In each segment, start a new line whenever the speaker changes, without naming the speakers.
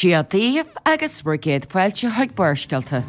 Dia daoibh agus bhur gcéad fáilte chuig Barrscéalta.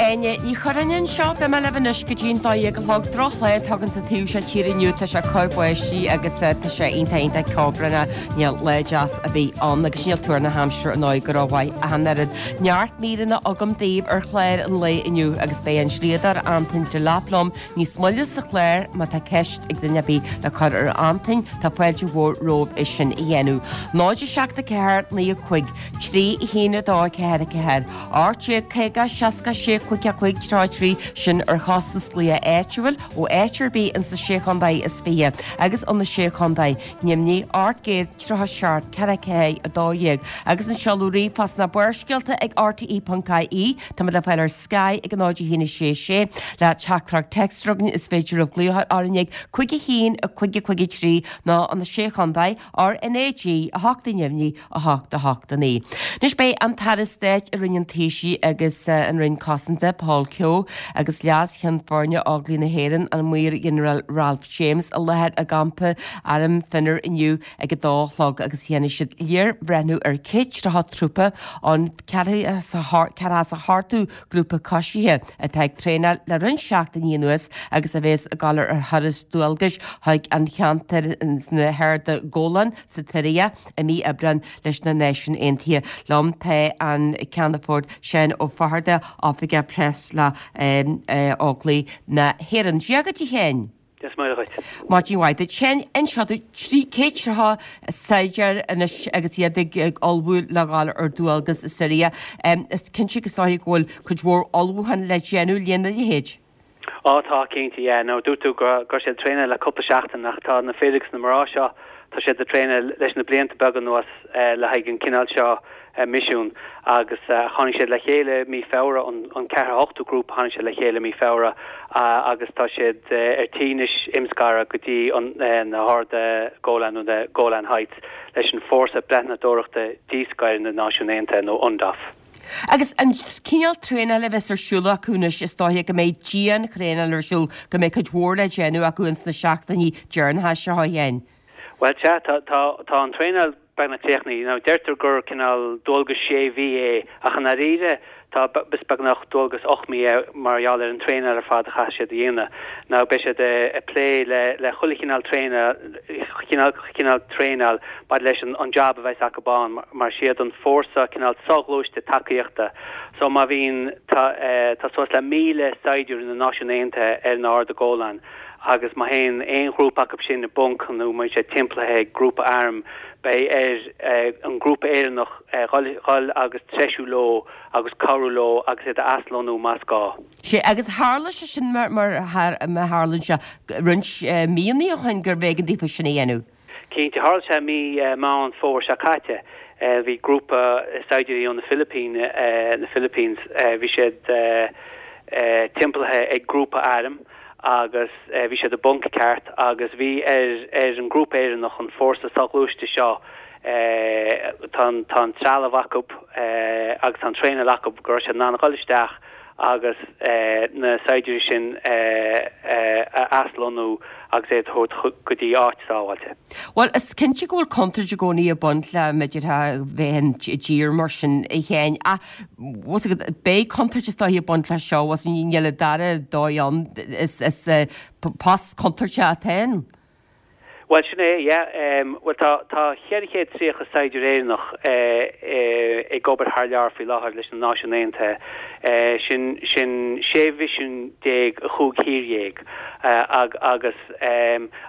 Áine Ní Churráin anseo, beidh mé libh anois go dtí an 12 a chlog. Drochlá atá againn sa taobh seo tíre inniu, tá sé ag cur báistí agus tá sé iontach iontach ceobhránach. Níl lá deas ar bith ann agus níl tuar na haimsire ar ndóigh go rómhaith ach an oiread. Neart míreanna agam daoibh ar chlár an lae inniu agus beidh an dlíodóir Antain Delap liom níos moille sa chlár má tá ceist ag duine ar bith le cur ar Antain tá fáilte mhór romhaibh é sin a dhéanamh. 0 7 4 9 5 3 1 2 4 4 18 50 66 55 33 sin ar chostas glaoch áitiúil ó áit ar bith ins na Sé Chontae is 20 agus ó na Sé Chontae Neimnigh 837 4 4 12 agus an seoladh ríomhphost ná barrscéalta ag rte.ie Táimid le fáil ar Sky ag 0 1 6 6 le teachtaireacht téacs againn is féidir libh glaoch orainn ag 5 1 5 5 3 nó ó na Sé Chontae RnaG 8 neimhní 8 8 9. Anois beidh an tAire Stáit i Roinn an Taoisigh agus an Roinn Cosanta, Paul Kehoe, agus Leas-Cheann Foirne Óglaigh na hÉireann, an Maor-Ghinearál Ralph James, i láthair i gcampa Airm Finner inniu ag a dó a chlog agus dhéanfaidh siad léirbhreithniú ar 130 trúpa ón 78ú Grúpa Coisithe atá ag traenáil le roinnt seachtainí anuas agus a bhéas ag dul ar thuras dualgais chuig an cheantar sna hArda Golan sa tSiria i mí Aibreáin leis na Náisiúin Aontaithe. Liom tá an Ceannfort Seán Ó Fatharta, Oifigeach Preas le Óglaigh na hÉireann. Dia dhuit a Sheáin.
Dia is Muire dhuit.
Maidin mhaith duit. Seán, inis dúinn, 130 saighdiúir anois agus iad ag ullmhú le dhul ar dualgas i Siria. Is cinnte go is dóiche go bhfuil cuid mhór ullmhúchán le déanamh lena leithéid.
Á tá, cinnte, yeah. Now dúirt tú go raibh siad ag traenáil le cúpla seachtain ach tá na fir agus na mná seo, tá siad ag traenáil leis na blianta beaga anuas le haghaidh an cineál seo misiún agus tháinig siad le chéile mí Feabhra, an ceathracha hochtú grúpa tháinig siad le chéile mí Feabhra agus tá siad ar tí anois imscaradh go dtí na hArda Golan nó na Golan Heights leis an Fórsa Breathnadóireachta Díscoir na Náisiún Aontaithe nó UNDOF.
Agus an cineál traenála a bheas ar siúl acu anois, is dóiche go mbeidh dian-thraenáil ar siúl, go mbeidh cuid mhór le déanamh acu ins na seachtainí deireanacha seo, a Sheáin.
Bhuel, sea, tá, tá, tá an traenáil beagnach críochnaithe. Now, deirtear gur cineál dualgas sé mhí é, ach i ndáiríre, tá, is beagnach dualgas 8 mí é mar gheall ar an traenáil ar fad a chaithfidh siad a dhéanamh. Now, beidh siad ag plé le, le chuile chineál traenáil, chineál, chineál traenáil maidir leis an, an jab a bheas acu ann, mar is iad an fórsa cineál soghluaiste tacaíochta. So, má bhíonn, tá, tá suas le 1,000 saighdiúir na Náisiún Aontaithe ar na Arda Golan, agus má théann aon ghrúpa acu sin i bponc nó má bhíonn sé timpeallaithe ag grúpa airm, beidh ar an ngrúpa Éireannach dhul agus treisiú leo agus cabhrú leo agus iad a aslonnú más gá.
Sea, agus tharla sé sin mar a tharlaíonn sé roinnt míonna ó shin gurbh éigean daofa sin a dhéanamh.
Cinnte, tharla sé mí Meán Fómhair seo caite. Bhí grúpa saighdiúirí ó na Filipín, na Philippines, bhí siad timpeallaithe ag grúpa airm agus bhí siad i bponc ceart agus bhí ar ar an ngrúpa Éireannach, an fórsa soghluaiste seo, tá an tá an trealamh acu agus tá an traenáil acu go raibh siad in ann a dhul isteach agus na saighdiúirí sin a aslonnú agus iad a thabhairt go dtí áit sábháilte.
Bhuel, is cinnte go bhfuil contúirt i gcónaí ag baint le, b'fhéidir, bheith i dtír mar sin, a Sheáin, ach bhfuil fhios agat, beidh contúirt is dóiche ag baint leis seo, bhfuil fhios agat, níl an dara dóigh ann, is post contúirteach atá ann.
Bhuel, sin é, yeah. Bhuel, tá, tá 430 saighdiúir Éireannach ag obair thar lear faoi láthair leis na Náisiúin Aontaithe. Sin, sin 16 mhisiún i chúig thír dhéag. Agus,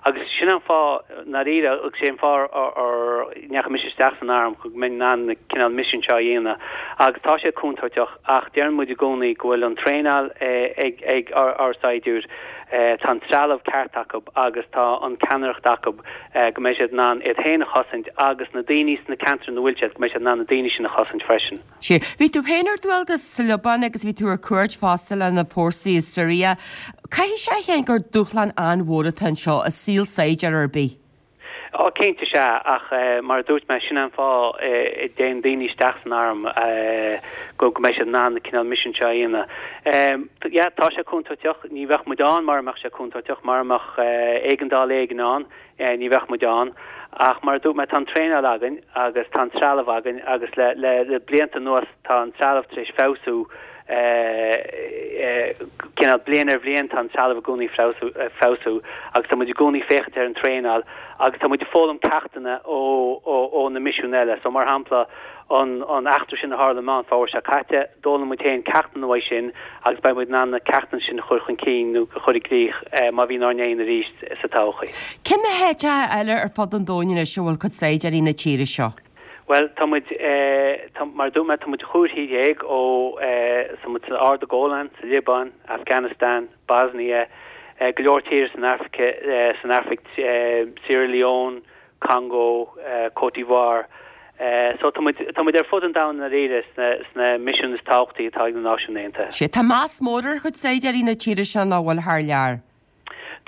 agus sin an fáth, i ndáiríre, agus sé an fáth ar ndeachaigh mise isteach san arm, go mbeinn in ann na cineál misin seo a dhéanamh. Agus tá sé contúirteach ach deireann muid i gcónaí go bhfuil an traenáil ag, ag ár saighdiúir, Tá an trealamh ceart acu agus tá an ceannaireacht acu go mbeidh siad in ann iad féin a chosaint agus na daoine sna ceantair ina bhfuil siad, go mbeidh siad in ann na daoine sin a chosaint freisin.
Sea. Bhí tú féin ar dualgas sa Liobáin agus bhí tú ar cuairt fosta le na fórsaí i Siria. Caithfidh sé, a Sheáin, gur dúshlán an-mhór atá anseo i saol saighdiúir ar bith.
Á, cinnte sea, ach mar a dúirt mé, sin é an fáth a dtéann daoine isteach san arm, go mbeidh siad in ann na cineál misean seo a dhéanamh. Yeah, tá sé contúirteach, ní bheadh muid ann mara mbeadh sé contúirteach, mara mbeadh éigeandáil éigin ann, ní bheadh muid ann. Ach mar a dúirt mé, tá an traenáil againn agus tá an trealamh againn agus le le blianta anuas tá an trealamh tar éis feabhsú, cineál bliain ar bhliain tá an trealamh i gcónaí ag feabhsú agus tá muid i gcónaí ag féachaint ar an traenáil agus tá muid ag foghlaim ceachtanna ó ó na misiúin eile. So mar shampla an an eachtra sin a tharla i Meán Fómhair seo caite, d'fhoghlaim muid féin ceachtanna uaidh sin agus beidh muid in ann na ceachtanna sin a chur chun cinn nó a chur i gcrích má bhíonn ár ndéanamh arís sa todhchaí.
Cé na háiteacha eile ar fud an domhain anois a bhfuil cuid saighdiúirí na tíre seo?
Bhuel, tá muid, tá, mar a dúirt mé, tá muid chúig thír dhéag ó, tá muid san Ard an Ghóláin, sa Liobáin, Afghanistan, Bosnia, go leor tíortha san Afraic, san Afraic, Sierra Leone, Congo, Côte d'Ivoire. So tá muid, tá muid ar fud an domhain i ndáiríre sna, sna misiúin is tábhachtaí atá ag na Náisiúin Aontaithe.
Sea, tá meas mór ar chuid saighdiúirí na tíre seo nach bhfuil thar lear.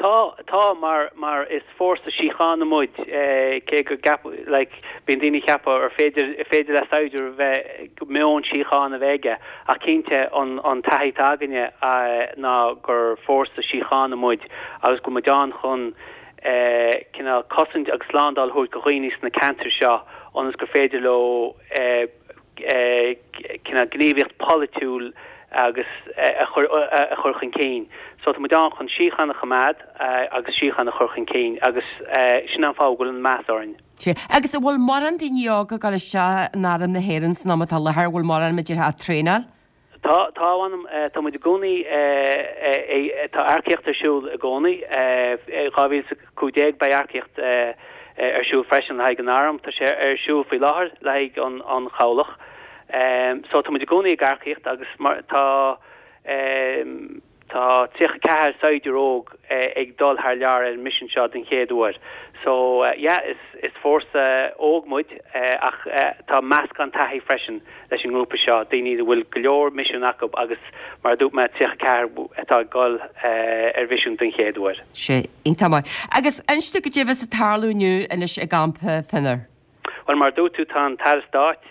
Tá, tá, mar, mar is fórsa síochána muid, cé go gceap, like, bíonn daoine ag ceapadh ar féidir, ar féidir le saighdiúir a bheith, meon síochána a bheith aige, ach cinnte an, an taithí atá againne ná gur fórsa síochána muid agus go bhfuil muid ann chun cineál cosaint agus slándáil a thabhairt do dhaoine sna ceantair seo ionas gur féidir leo cineál gníomhaíocht pholaitiúil agus a chur a chur chun cinn. So tá muid ann chun síocháin a choimeád agus síocháin a chur chun cinn agus sin an fáth go bhfuil an meas orainn.
Sea. Agus an bhfuil mórán daoine óga ag dul isteach in Arm na hÉireann san am atá i láthair, an bhfuil mórán, mar a déarfá, ag traenáil?
Tá, tá, mh'anam, tá muid i gcónaí, tá earcaíocht ar siúl i gcónaí. 2015 beidh earcaíocht ar siúl freisin le haghaidh an Airm. Tá sé ar siúl faoi láthair le haghaidh an Chabhlach. So tá muid i gcónaí ag earcaíocht agus mar tá, Tá 34 saighdiúir óg ag dul thar lear ar an misean seo den chéad uair. So yeah, is is fórsa óg muid ach tá meascán taithí freisin leis an ngrúpa seo, daoine a bhfuil go leor misean acu agus mar a dúirt mé 34 atá ag dul ar mhisiún den chéad uair.
Sea, iontach maith. Agus inis dom goidé a bheas ag tarlú inniu anois i gcampa Phinnear.
Bhuel, mar a dúirt tú, tá an tAire Stáit,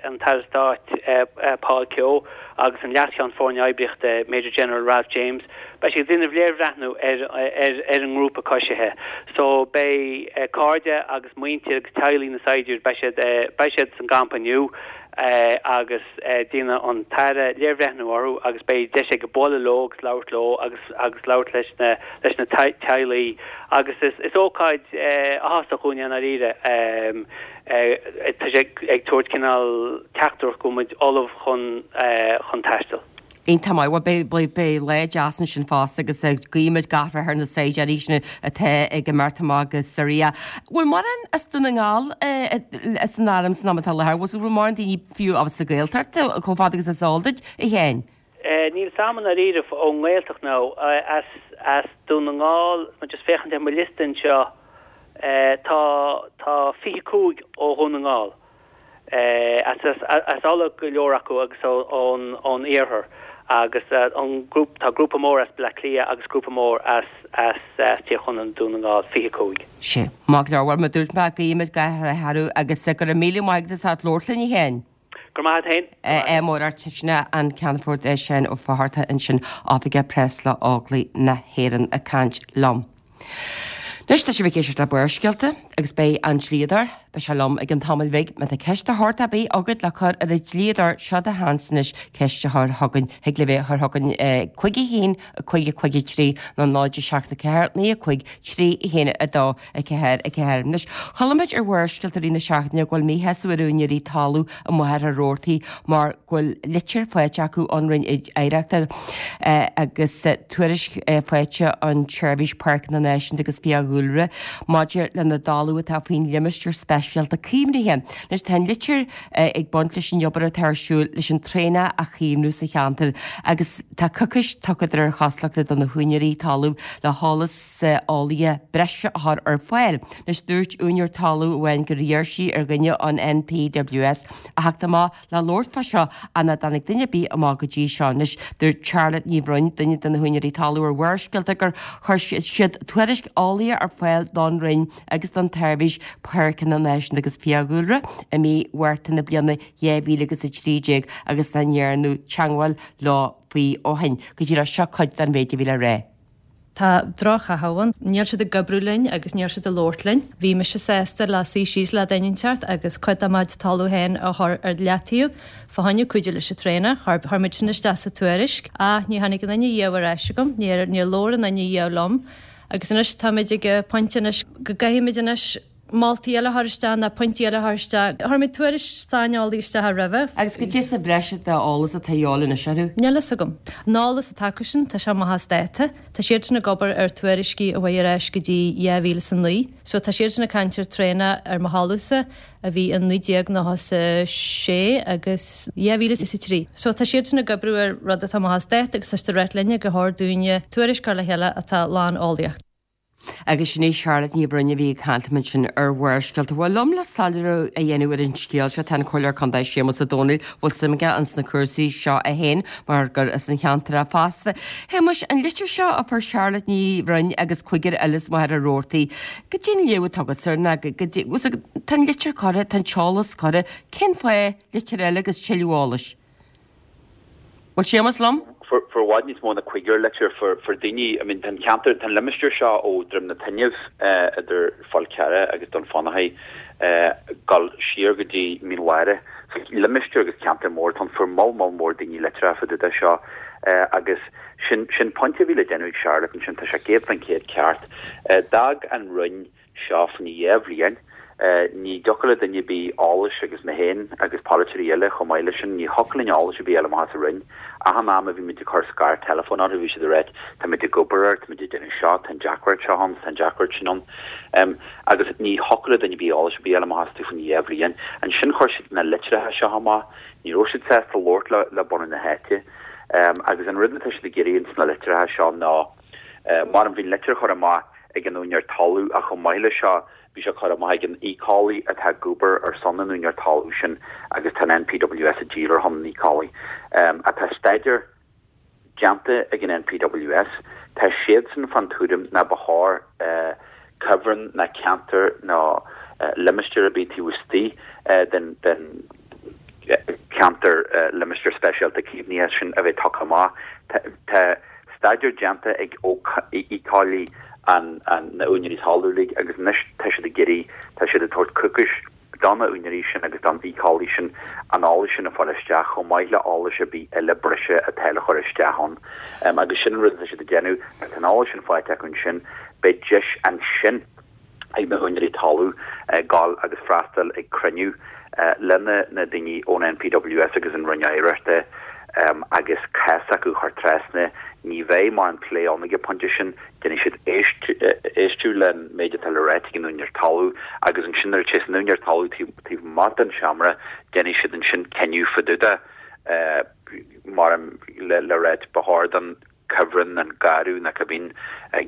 an tAire Stáit Paul Kehoe agus an Leas-Cheann Foirne Oibríochta, Major General Ralph James, beidh siad ag déanamh léirbhreathnú ar ar an ngrúpa coisithe. So, beidh cairde agus muintir agus teaghlaigh na saighdiúir, beidh siad, beidh siad san gcampa inniu agus déanfaidh an tAire léirbhreathnú orthu agus beidh deis aige bualadh leo agus labhairt leo agus agus labhairt leis na leis na teaghlaigh agus is is ócáid áthasach dúinn é i ndáiríre. Tá sé ag tabhairt cineál teachtaireacht go bhfuil muid ullamh chun chun taisteal.
Iontach maith. Bhuel beidh beidh lá deas ansin fosta agus guímid gach rath ar na saighdiúirí sin atá ag imeacht amach go Siria. Bhfuil mórán as Dún na nGall san arm san am atá i láthair? Bhfuil mórán daoine fiú as an Ghaeltacht chomh fada agus is eol duit, a Sheáin?
Níl 's a'm i ndáiríre ón nGaeltacht nó as as Dún na nGall, tá mé just féachaint ar mo liosta anseo, tá tá 25 ó Dhún na nGall. As as Uladh go leor acu agus ón ón iarthar agus an grúp tá grúpa mór as Bleá Cliath agus grúpa mór as as Tír Chonaill Dún na nGall, 25.
Sea, maith go leor. Bhuel, mar a dúirt mé, guímid gach rath orthu agus go raibh míle maith agat as ucht labhairt linn, a Sheáin.
Go raibh maith agat féin.
Ádh mór ort. Sin é an Ceannfort Seán Ó Fátharta ansin, Oifigeach Preas le Óglaigh na hÉireann ag caint liom. Anois tá sibh ag éisteacht le Barrscéalta agus beidh an dlíodóir, beidh sé liom i gcionn tamaill bhig. Má tá ceist de shórt ar bith agat le cur ar an dlíodóir, seo do sheans anois ceist a chur chugainn. Thig libh é a chur chugainn 5 1 5 5 3 nó 0 7 4 9 5 3 1 2 4 4. Anois, chuala muid ar Bharrscéalta i rith na seachtaine go bhfuil míshásamh ar úinéirí talaimh i Machaire Rabhartaigh mar go bhfuil litir faighte acu ón Roinn Oidhreachta agus tuairisc faighte ón tSeirbhís Páirceanna Náisiúnta agus Fiadhúlra maidir lena dtalamh atá faoin limistéar speisialta. Speisialta Caomhnaithe. Anois tá an litir ag baint leis an obair atá ar siúl leis an traonach a chaomhnú sa cheantar agus tá coicís tugtha de réir chosúlachta do na húinéirí talaimh le heolas eolaíoch breise a chur ar fáil. Anois dúirt úinéir talaimh amháin gur iarr sí ar dhuine ón NPWS a theacht amach le labhairt fá seo ach nach dtáinig duine ar bith amach go dtí seo. Anois dúirt Charlotte Ní Bhroin, duine de na húinéirí talaimh ar Bharrscéalta gur chuir siad tuairisc eolaíoch ar fáil don Roinn agus don tSeirbhís Páirceanna Náisiúnta agus Fiadhúlra i mí Mhárta na bliana 2013 agus nach ndearnadh teagmháil leo faoi ó shin. Go díreach seo cuid den mhéid a bhí le rá.
Tá droch-chaitheamh ann. Níl siad ag oibriú linn agus níl siad ag labhairt linn. Bhí mise sásta le suí síos le duine inteacht agus cuid de mo chuid talamh féin a chur ar leataobh fá choinne cuidiú leis an traonach. Chuir muid sin isteach sa tuairisc ach ní tháinig aon duine riamh ar ais agam. Níor labhair aon duine riamh liom. Agus anois táimid ag an pointe anois go gcaithfimid anois moltaí eile a chur isteach nó pointí eile a chur isteach. Chuir muid tuairisc saineolaí isteach roimhe.
Agus goidé sa bhreis d'eolas atá a dhíobháil anois orthu?
Níl fhios agam. An eolas atá acu sin, tá sé amach as dáta. Tá siad sin ag obair ar tuairiscí a chuaigh ar ais go dtí 2009. So tá siad sin ag caint ar traonach ar mo thalamhsa a bhí in 1996 agus 2003. So tá siad sin ag oibriú ar rud atá amach as dáta agus tá siad ag ráit linne gur chóir dúinne tuairisc a chur le chéile atá lán eolaíocht.
Agus sin í Charlotte Ní Bhroin a bhí ag caint liom ansin ar Bharrscéalta. Bhuel, liom le soiléiriú a dhéanamh ar an scéal seo tá an Comhairleoir Contae Séamus Ó Domhnaill, a bhfuil suim aige ins na cúrsaí seo é féin mar gur as an cheantar é fosta. Shéamuis, an litir seo a fuair Charlotte Ní Bhroin agus cúigear eile as Machaire Rabhartaigh, goidé an léamh atá agatsa air ná goidé, tá an litir curtha, tá an t-eolas curtha, cén fáth litir eile agus tuilleadh eolais? Bhfuil Séamus liom?
Fuair i bhfad níos mó ná cúigear litir, fuair daoine, I mean tá an ceantar, tá an limistéar seo ó Droim na Toinne idir Fál Carrach agus Dún Fionnachaidh dul siar go dtí Mín Lháire. So limistéar agus ceantar mór atá ann, fuair moll moll mór daoine litreacha fá dtaobh de seo agus sin sin pointe a bhí le déanamh ag Charlotte ansin, tá sé 100% ceart. D'fhág an Roinn seo fá choinne dhá bhliain. Ní dtiocfadh le duine ar bith eolas agus mé féin agus polaiteoirí eile chomh maith leis sin, ní thiocfadh linn eolas ar bith a fháil amach as an Roinn. Achan am a bhí muid ag cur scairt teileafóin orthu bhí siad ag ráit táimid ag obair air, táimid ag déanamh seo, tá an deacracht seo ann, tá an deacracht sin ann. Agus ní thiocfadh le duine ar bith eolas ar bith a fháil amach astu fá choinne dhá bhliain. Ansin chuir siad na litreacha seo amach. Ní raibh siad sásta labhairt le bunadh na háite. Agus an rud atá siad ag iarraidh ins na litreacha seo ná, mar bhí an litir curtha amach ag an úinéir talún ach chomh maith leis seo bhí sé curtha amach ag an éiceolaí atá ag obair ar son an úinéir talún sin agus tá an NPWS ag díol ar shon an éiceolaí. Tá staidéar déanta ag an NPWS. Tá siadsan fán tuairim ná ba chóir cuibhreann ná ceantar nó limistéar ar bith taobh istigh den cheantar limistéar speisialta caomhnaithe sin a bheith tugtha amach. Tá staidéar déanta ag éiceolaí na úinéirí talún uilig agus anois tá siad ag iarraidh, tá siad ag tabhairt coicís do na úinéirí sin agus don éiceolaí sin an eolas sin a fháil isteach chomh maith le eolas ar bith eile breise atá le chur isteach ann. Agus sin an rud atá siad ag déanamh, nuair atá an eolas sin faighte acu ansin, beidh deis ansin ag na húinéirí talún gabháil agus freastal ag cruinniú le na daoine ón NPWS agus an Roinn Oidhreachta agus cás s'acu a chur trasna. Ní bheidh mórán plé ann ag an bpointe sin, déanfaidh siad éisteacht len méid atá le ráit ag an úinéir talún agus ansin nuair a théas an úinéir talún taobh amuigh den seomra déanfaidh siad ansin cinneadh fá dtaobh de mar le ráit ba chóir don cuibhreann, an garradh nó cibé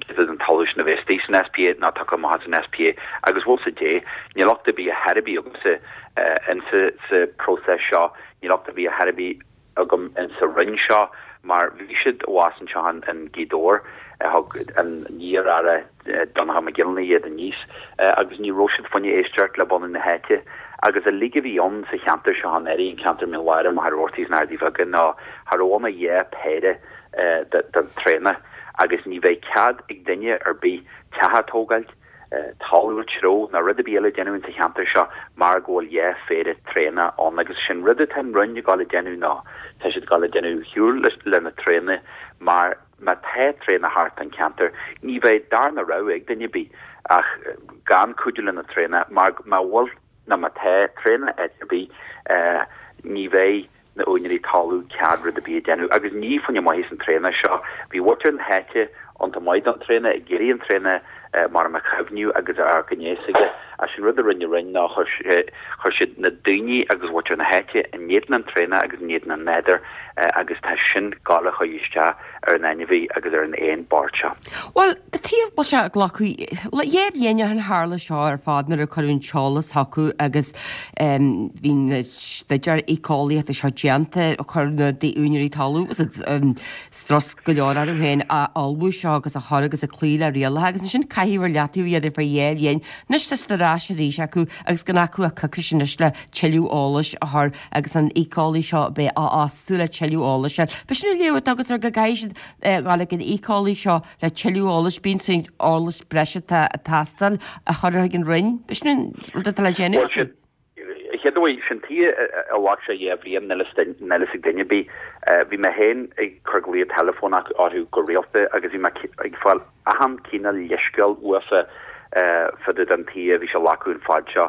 giota den talamh sin a bheith istigh san SPA nó tugtha amach as an SPA agus bhfuil 'fhios a'd, níl locht ar bith ar chor ar bith agamsa insa sa próiseas seo, níl locht ar bith ar chor ar bith agam insa Roinn seo mar bhí siad abhus anseo in Gaoth Dobhair, thug an iar-aire Donnchadh Mac Giollarnáth iad aníos agus ní raibh siad fá choinne éisteacht le bunadh na háite agus an loighic a bhí ann sa cheantar seo anuraidh, an ceantar Mín Lháire, Machaire Rabhartaigh is na hArdaí Bheaga ná cha raibh ann ach dhá phéire den traonach agus ní bheidh cead ag duine ar bith teach a tógáilt, talamh a threabhadh ná rud ar bith eile a dhéanamh insa cheantar seo mar go bhfuil dhá phéire traonach ann agus sin rud atá an Roinn ag dul a déanamh ná tá siad ag dul a déanamh shiúl le na traonaigh mar Má tá traonach thart an ceantar, ní bheidh darna rogha ag duine ar bith ach gan cuidiú le na traonacha mar má bhfuil nó má tá traonach áit ar bith, ní bheidh na úinéirí talún cead rud ar bith a déanamh. Agus ní fá choinne maitheas an traonach seo. Bhí muintir na háite iontach maith don traonach, ag iarraidh an traonach mar a chaomhnú agus a amharc aníos aige. Ach sin. rud a rinne an Roinn ná chuir sé, chuir siad na daoine agus mhuintir na háite in éadan an traonach agus in éadan an nádúir agus tá sin ag gabháil a chur isteach ar an ainmhí agus ar an éan bocht seo.
Bhuel, cad chuige a bhfuil sé ag glacadh, le dhá bhliain ó shin tharla seo ar fad nuair a cuireadh an t-eolas chucu agus bhí na staidéir éiceolaíochta seo déanta, chuir na úinéirí talún strus go leor orthu féin a ullmhú seo agus a chur agus a cloí le rialacha agus ansin caitheadh ar leataobh iad ar feadh dhá bhliain. Anois tá siad ar ais arís acu agus gan acu ach coicís anois le tuilleadh eolais a chur agus an éiceolaí seo a bheith á fhostú le tuilleadh eolais a fháil. B'shin an léamh atá agat air go gcaithfidh siad dhul ag an éiceolaí seo le tuilleadh eolais, bíonn saghas eolais breise atá ag teastáil a chur chuig an Roinn. B'shin an rud atá le déanamh acu.
Chéad uair, sin tuige a ghlac sé dhá bhliain, níl a fhios ag duine ar bith. Bhí mé féin ag cur glao teileafónach orthu go rialta agus bhí mé ag fáil achan cineál leithscéal uafa fá dtaobh den tuige a bhí sé ag glacadh an fad seo.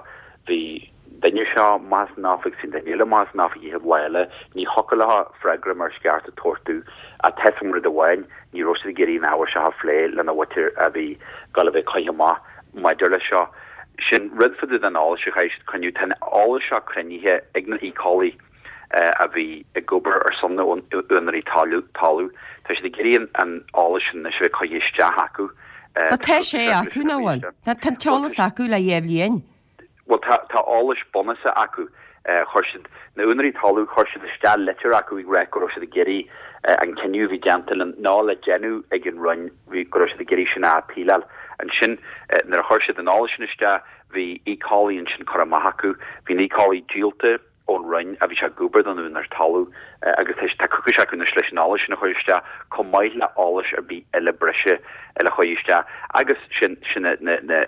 Bhí duine seo amach as an oifig, bhí duine eile amach as an oifig an chéad lá eile. Ní thiocfadh leo freagra mar is ceart a tabhairt domh. Ach tá a fhios agam rud amháin, ní raibh siad ag iarraidh an ábhar seo a phlé lena mhuintir a bhí ag gabháil a bheith curtha amach maidir leis seo. Sin rud fá dtaobh den eolas a chaithfidh siad coinniú. Tá an eolas seo cruinnithe ag na éiceolaí a bhí ag obair ar son na úinéirí talún. Tá siad ag iarraidh an eolas sin anois a bheith curtha isteach acu.
But tá sé acu, nach bhfuil? Tá an t-eolas acu le dhá bhliain.
Bhuel, tá, tá eolas bunúsach acu. Chuir siad, na úinéirí talún, chuir siad isteach litir acu ag rá go raibh siad ag iarraidh an cinneadh a bhí déanta le, nó le déanamh ag an Roinn, bhí, go raibh siad ag iarraidh sin a appealáil. Ansin, nuair a chuir siad an eolas sin isteach, bhí éiceolaí ansin curtha amach acu. Bhí an éiceolaí díolta. ón Roinn a bhí sé ag obair don úinéir talún agus tá tá coicís acu anois leis an eolas sin a chur isteach chomh maith le eolas ar bith eile breise le chur isteach agus sin sin na na na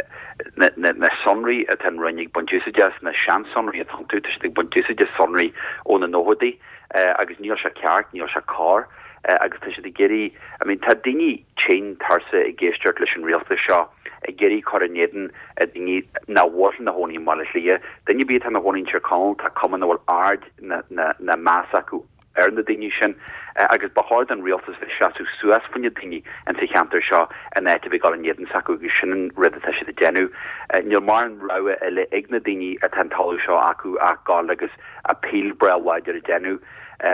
na na na sonraí atá an Roinn ag baint úsáide as na seansonraí atá iontu tá siad ag baint úsáide sonraí ó na nóchaidí agus níl sé ceart níl sé cóir agus tá siad ag iarraidh I mean tá daoine tinn tuirseach ag éisteacht leis an rialtas seo ag iarraidh cur in éadan daoine nach bhfuil ina chónaí i mBaile Átha Cliath. Duine ar bith atá ina chónaí in Tír Chonaill, tá cuma nach bhfuil aird ná meas acu ar na daoine sin agus ba chóir don rialtas bheith seasamh suas fá choinne daoine insa cheantar seo in áit a bheith ag dul in éadan s'acu agus sin an rud atá siad ag déanamh. Níl mórán rogha eile ag na daoine atá an talamh seo acu ach dul agus appeal breá láidir a déanamh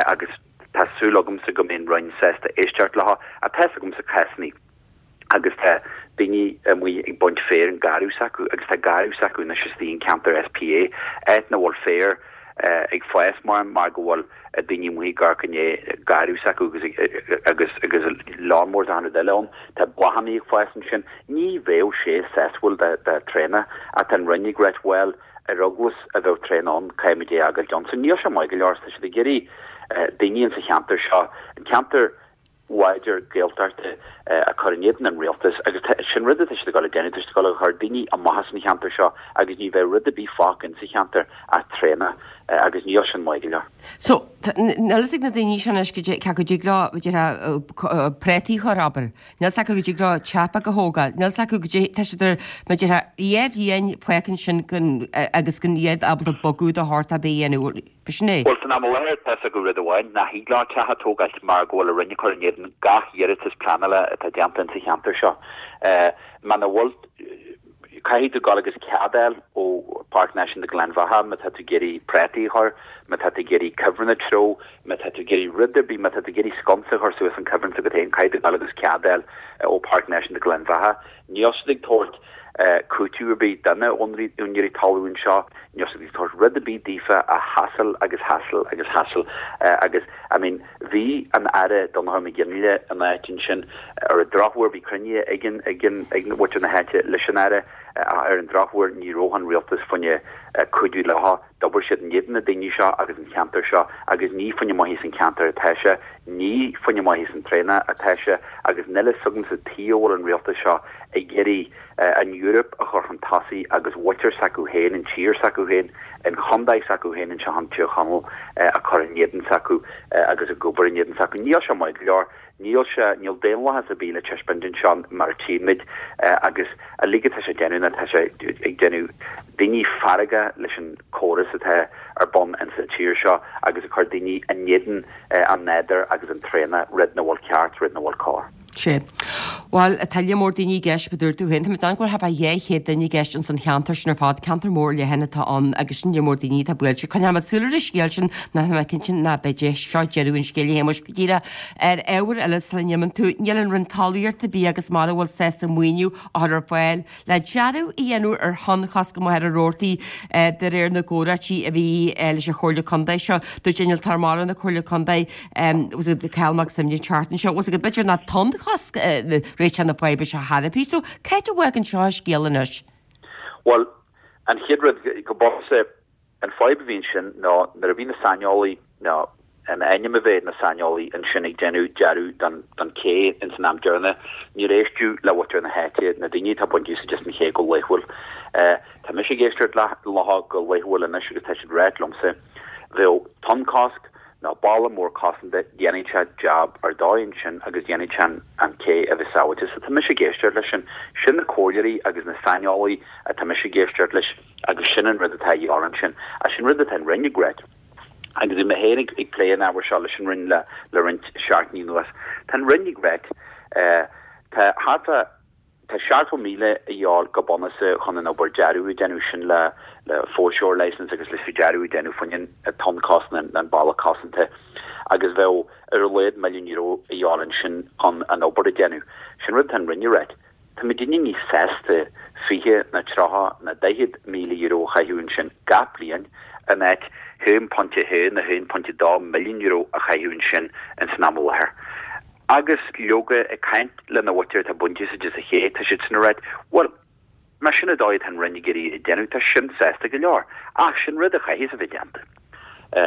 agus tá súil agamsa go mbeidh an Roinn sásta éisteacht leo. Ach tá fhios agamsa cásanna. agus tá daoine amuigh ag baint féir an garradh s'acu agus tá garradh s'acu anois istigh in ceantar SPA, áit nach bhfuil féar ag fás mar mar go bhfuil daoine amuigh ag amharc i ndiaidh garradh s'acu agus agus agus lán mór d'achan rud eile ann. Tá bláthanna ag fás ansin. Ní bheadh sé sásúil do do traonach ach tá an Roinn ag ráit bhuel ar eagla a bheadh traonach ann caithfimid é a fhágáil ansin. Níl sé maith go leor tá siad ag iarraidh daoine insa cheantar seo, an ceantar láidir Gaeltachta a chur in éadan an rialtais agus sin rud atá siad ag dul a déanamh, tá siad ag dul a chur daoine amach as an cheantar seo agus ní bheidh rud ar bith fágtha insa cheantar ach traonach agus níl sin maith go leor.
So, níl fhios ag na daoine seo anois cé acu dtig leo, b'fhéidir, prátaí a chur, abair. Níl fhios acu go dtig leo teach beag a thógáil. Níl fhios acu go dtig, tá siad ar, mar déarfá, dhá bhliain fágtha ansin gan, agus gan iad ábalta bogadh de shórt ar bith a dhéanamh.
B'shin é. Bhuel, san am i láthair, tá fhios acu rud amháin, nach thig leo teach a tógáilt mar go bhfuil an Roinn ag cur in éadan gach iarratas pleanála atá déanta insa cheantar seo. Muna bhfuil, caithfidh tú dul agus cead a fháil ó Páirc Náisiúnta Ghleann Bheatha má tá tú ag iarraidh prátaí a chur, má tá tú ag iarraidh cuibhreann a treabhadh, má tá tú ag iarraidh rud ar bith, má tá tú ag iarraidh sconsa a chur suas an cuibhreann s'agat féin, caithfidh tú dul agus cead a fháil ó Páirc Náisiúnta Ghleann Bheatha. Níl siad ag tabhairt cúiteamh ar bith do na úinéirí talún anseo, níl siad ag tabhairt rud ar bith daofa ach hassle agus hassle agus hassle agus I mean bhí an Aire Donnchadh Mac Fhionnghaile in áit ansin ar an drochuair bhí cruinnithe ag an ag an ag muintir na háite leis an Aire ach ar an drochuair ní raibh an rialtas fá choinne cuidiú leo. D'obair siad in éadan na daoine seo agus an cheantar seo agus ní fá choinne maitheas an cheantair atá sé, ní fá choinne maitheas an traonach atá sé agus níl fhios agamsa tuige a bhfuil an rialtas seo ag iarraidh an Eoraip a chur chun tosaigh agus mhuintir s'acu féin, an tír s'acu féin, an chontae s'acu féin anseo in Tír Chonaill a chur in éadan s'acu agus ag obair in éadan s'acu. Níl sé maith go leor. Níl sé, níl daonlathas ar bith le taispeáint anseo mar a tchímid agus uilig atá sé ag déanamh ná tá sé ag déanamh daoine feargach leis an córas atá ar bun insa tír seo agus ag cur daoine in éadan an nádúir agus an traonach, rud nach bhfuil ceart, rud nach bhfuil cóir.
Sea. Bhuel, tá líon mór daoine i gceist, mar a dúirt tú féin. Tá mé ag déanamh go bhfuil thart fá 200 duine i gceist ins an cheantar sin ar fad. Ceantar mór leathan atá ann agus sin líon mór daoine atá buailte. Coinneoidh muid súil ar an scéal sin nó tá mé cinnte ná beidh é seo deireadh an scéil a Shéamuis. Go díreach ar ábhar eile sula n-imíonn tú, níl an Roinn Talmhaíochta, Bia agus Mara an bhfuil sásta maoiniú a chur ar fáil le dearadh a dhéanamh ar thonnchosc i Machaire Rabhartaigh de réir na gcomhráití a bhí leis an Chomhairle Contae seo. Dúirt Innealtóir Mara na Comhairle Contae, Cathal Mac Suibhne an tseachtain seo, bhfuil a fhios agat, b'fhéidir nach tonnchosc réiteach na faidhbe seo thar a bith. So, cá háit a bhfágann seo an scéal anois?
Bhuel, an chéad rud go bunúsach, An fadhb a bhí ansin ná nuair a bhí na saineolaí, nó in ainm a bheith na saineolaí ansin ag déanamh dearadh don don ché ins an am deireanach, níor éisteadh le mhuintir na háite, na daoine atá ag baint úsáid as an ché go laethúil. Tá mise ag éisteacht leo go laethúil anois agus tá siad ag ráit liomsa, bheadh tonnchosc nó balla mór cosanta, dhéanfadh sé jab ar dóigh ansin agus dhéanfadh sé an ché a bheith sábháilte. So tá mise ag éisteacht leis sin. Sin na comhairleoirí agus na saineolaí atá mise ag éisteacht leis. Agus sin an rud atá a dhíobháil ansin. Agus sin rud atá an Roinn ag ráit. Agus bhí mé féin ag plé an ábhair seo leis an Roinn le roinnt seachtainí anuas. Tá an Roinn ag ráit, tá thart fá, tá 70,000 a dhíobháil go bunúsach chun an obair dearadh a dhéanamh, sin le le foreshore licence agus leis an dearadh a dhéanamh fá choinne an tonnchosc nó an balla cosanta. Agus bheadh ar a laghad €1 milliún a dhíobháil ansin chun an obair a dhéanamh. Sin rud atá an Roinn ag ráit. Tá muidinne níos sásta 20 nó 30 nó €40,000 a chaitheamh ansin gach bliain in áit €1.1 nó €1.2 milliún a chaitheamh ansin ins an am i láthair. Agus leoga, ag caint lena mhuintir atá ag baint úsáid as an ché, tá siad sin ag ráit, bhuel, más sin an dóigh atá an Roinn ag iarraidh é a dhéanamh, tá sin sásta go leor. Ach sin rud a chaithfeas a bheith déanta.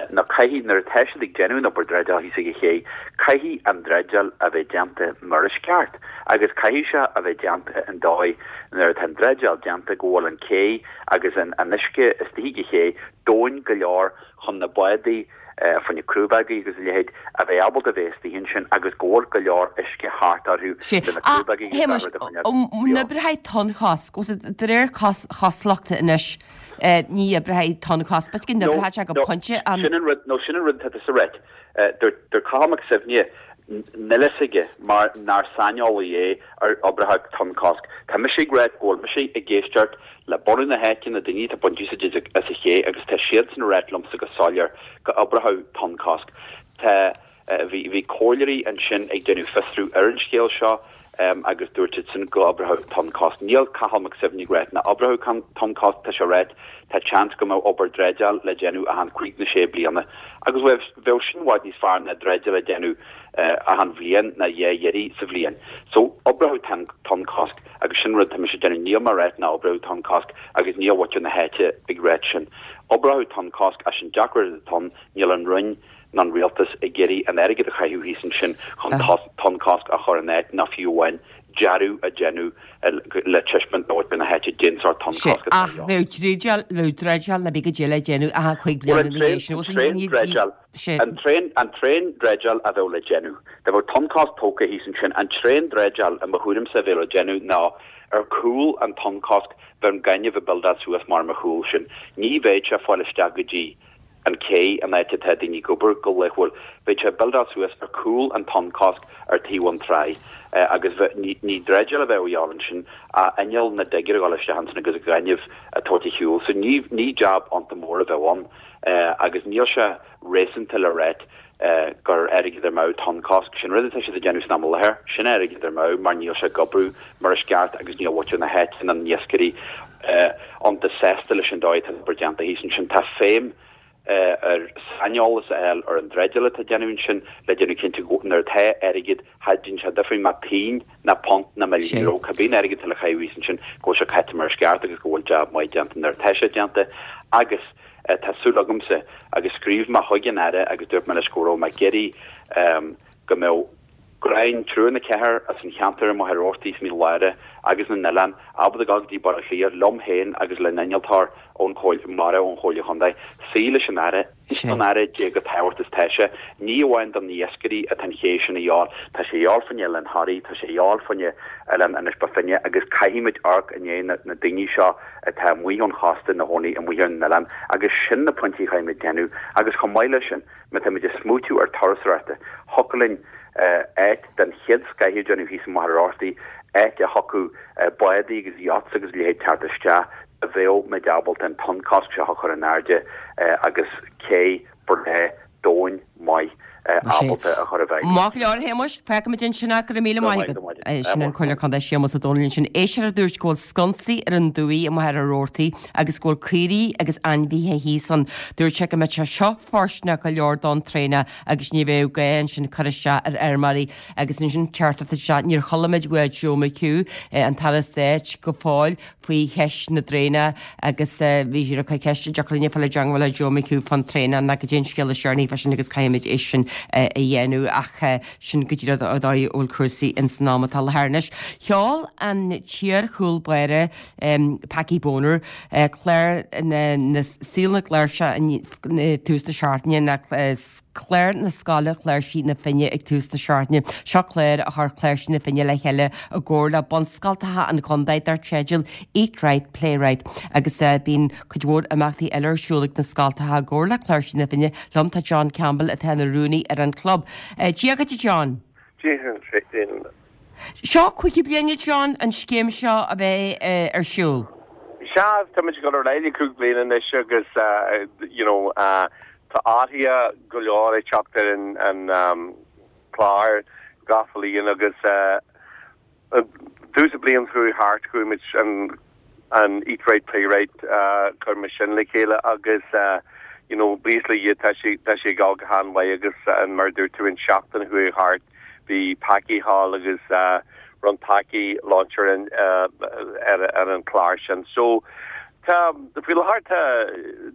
Nó caithfidh, nuair atá siad ag déanamh an obair dreideáil thíos ag an ché, caithfidh an dreideáil a bheith déanta mar is ceart agus caithfidh sé a bheith déanta in dóigh nuair atá an dreideáil déanta go bhfuil an cé agus an uisce istigh ag an ché domhain go leor chun na bádaí fá choinne crúbógaí agus a leithéid a bheith ábalta a bheith istigh ansin agus go bhfuil go leor uisce thart orthu le na
crúbógaí agus gach rud a choinneáil beo. An oibreoidh tonnchosc, de réir cosúlachta anois, Ní oibreoidh tonnchosc, b'fhéidir go n-oibreoidh sé go pointe
an. Sin an rud, nó sin an rud atá tusa ag ráit. Dúirt Cathal Mac Suibhne, níl fhios aige mar nár saineolaí é ar oibreoidh tonnchosc. Tá mise ag ráit go bhfuil mise ag éisteacht le bunadh na háite, na daoine atá ag baint úsáid as an ché agus tá siadsan ag ráit liomsa go soiléir go oibreoidh tonnchosc. Tá. Bhí bhí comhairleoirí ansin ag déanamh fiosrú ar an scéal seo agus dúirt siadsan go oibreodh tonnchosc. Níl Cathal Mac Suibhne ag ráit nach oibreodh tonnchosc, tá sé ag ráit tá seans go mbeadh obair dreideáil le déanamh achan chúig nó sé bliana agus bheadh bheadh sin i bhfad níos fearr ná dreideáil a déanamh achan bhliain ná dhá iarraidh sa bhliain. So oibreodh tonnchosc agus sin rud tá mise ag déanamh. Níl mé ag ráit nach oibreodh tonnchosc agus níl muintir na háite ag ráit sin. Oibreodh tonnchosc ach sin deacracht atá ann, níl an Roinn ná an rialtas ag iarraidh an airgead a chaitheamh thíos ansin chun tonnchosc a chur in áit ná fiú amháin dearadh a dhéanamh le taispeáint do mhuintir na háite cén sórt
tonnchosc atá Ach bheadh dreideáil, bheadh dreideáil le bheith go deo le déanamh achan chúig bliana ina dhiaidh
sin. Bhuel, an tréan, an tréan dreideáil a bheadh le déanamh, dá mbeadh tonnchosc tógtha thíos ansin, an tréan dreideáil i mo thuairimse a bheadh le déanamh ná ar chúl an tonnchosc bheadh an gaineamh ag buildeáil suas mar mar chúl sin. Ní bheadh sé ag fáil isteach go dtí an cé, an áit atá daoine ag obair go laethúil. Bheadh sé ag buildeáil suas ar chúl an tonnchosc ar taobh an trá agus ní ní dreideáil a bheadh a dhíobháil ansin ach inneall na digger a dhul isteach ansin agus gaineamh a tabhairt ar shiúl. So ní ní jab iontach mór a bheadh ann agus níl sé réasúnta le ráit gur airgead amú tonnchosc. Sin rud atá siad ag déanamh san am i láthair. Sin airgead amú mar níl sé ag oibriú mar is ceart agus níl muintir na háite ná na iascairí iontach sásta leis an dóigh atá an obair déanta thíos ansin. Tá feidhm ar saineolas a fháil ar an dreideáil atá déanamh ansin le déanamh cinnte go nuair atá airgead, cha déanann sé difear má pingin ná punt ná milliún euro, cibé an airgead atá le caitheamh thíos ansin, go bhfuil sé caite mar is ceart agus go bhfuil jab maith déanta nuair atá sé déanta agus tá súil agamsa agus scríobh mé chuig an Aire agus dúirt mé leis go raibh mé ag iarraidh go mbeadh gráin triúr nó ceathrar as an cheantar i Machaire Rabhartaigh is Mín Lárach agus na nOileán ábalta dul go dtí Baile Átha Cliath liom féin agus le n-innealtóir ón Chomhairle Mara ón Chomhairle Chontae suí leis an Aire Insint don Aire cé chomh tábhachtach is tá sé. Ní amháin do na iascairí atá an ché sin a dhíobháil, tá sé a dhíobháil fá choinne Oileán Thoraí, tá sé a dhíobháil fá choinne Oileán Inis Bó Finne agus caithfimid amharc i ndiaidh na daoine seo atá amuigh ón chósta ina gcónaí amuigh ar an oileán agus sin na pointí a chaithfimid déanamh agus chomh maith leis sin, Má táimid ag smaoitiú ar turasóireachta, thiocfadh linn áit den chéad scoith a dhéanamh thíos i Machaire Rabhartaigh. Áit a thiocfadh bádaí agus yachts agus a leithéid teacht isteach, bheadh muid ábalta an tonnchosc seo a chur in airde agus cé breá domhain maith ábalta a chur i bhfeidhm.
Maith go leor, a Shéamuis. Fágfaimid ansin é. Go raibh míle maith agat. Sin an Comhairleoir Contae Séamus Ó Domhnaill ansin. Éisteoir a dúirt go bhfuil sconsaí ar an dumhaigh i Machaire Rabhartaigh agus go bhfuil caoirigh agus ainmhithe thíos ann. Dúirt sé go mbeadh sé seo fóirsteanach go leor don traenach agus ní bheadh gá ansin cur isteach ar fheirmeoirí agus ansin teachtaireacht isteach níor chuala muid uaidh Joe McHugh, an tAire Stáit, go fóill faoi cheist na traenach agus bhí siad ag cur ceiste an dtiocfadh linn fáil i dteangmháil le Joe McHugh fán traenach ná goidé an scéal is deireanaí fá sin agus caithfimid é sin a dhéanamh ach sin go díreach an dóigh a bhfuil cúrsaí ins an am atá i láthair anois. Sheol an t-iar-chúl báire Packie Bonner clár na Saol na gCláirseach ag tús na seachtaine, ná clár na Scoile Chláirsí na Finne ag tús na seachtaine. Seo clár a chuir Cláirsí na Finne le chéile i gcomhar le bunscoltacha an chontae dar teideal Eat Right, Play Right agus bíonn cuid mhór imeachtaí eile ar siúl ag na scoltacha i gcomhar le Cláirsí na Finne. Liom tá John Campbell atá ina rúnaí ar an chlub. Dia dhuit a John.
Dia dhuit.
Seo cúigiú bliain a John an scéim seo a bheith ar siúl.
Sea, táimid ag dul ar aghaidh le cúig bliana anois agus you know tá athruithe go leor ag teacht ar an chlár gach bliain agus tús an bhliain chuaigh thart chuaigh muid an an Eat Right Play Right chuir muid sin le chéile agus you know buíochas le Dia tá sé tá sé ag dul go han-mhaith agus mar a dúirt tú an seachtain a chuaigh thart bhí Packie thall agus rinne Packie launch ar an ar ar an chlár sin. So tá faoi láthair tá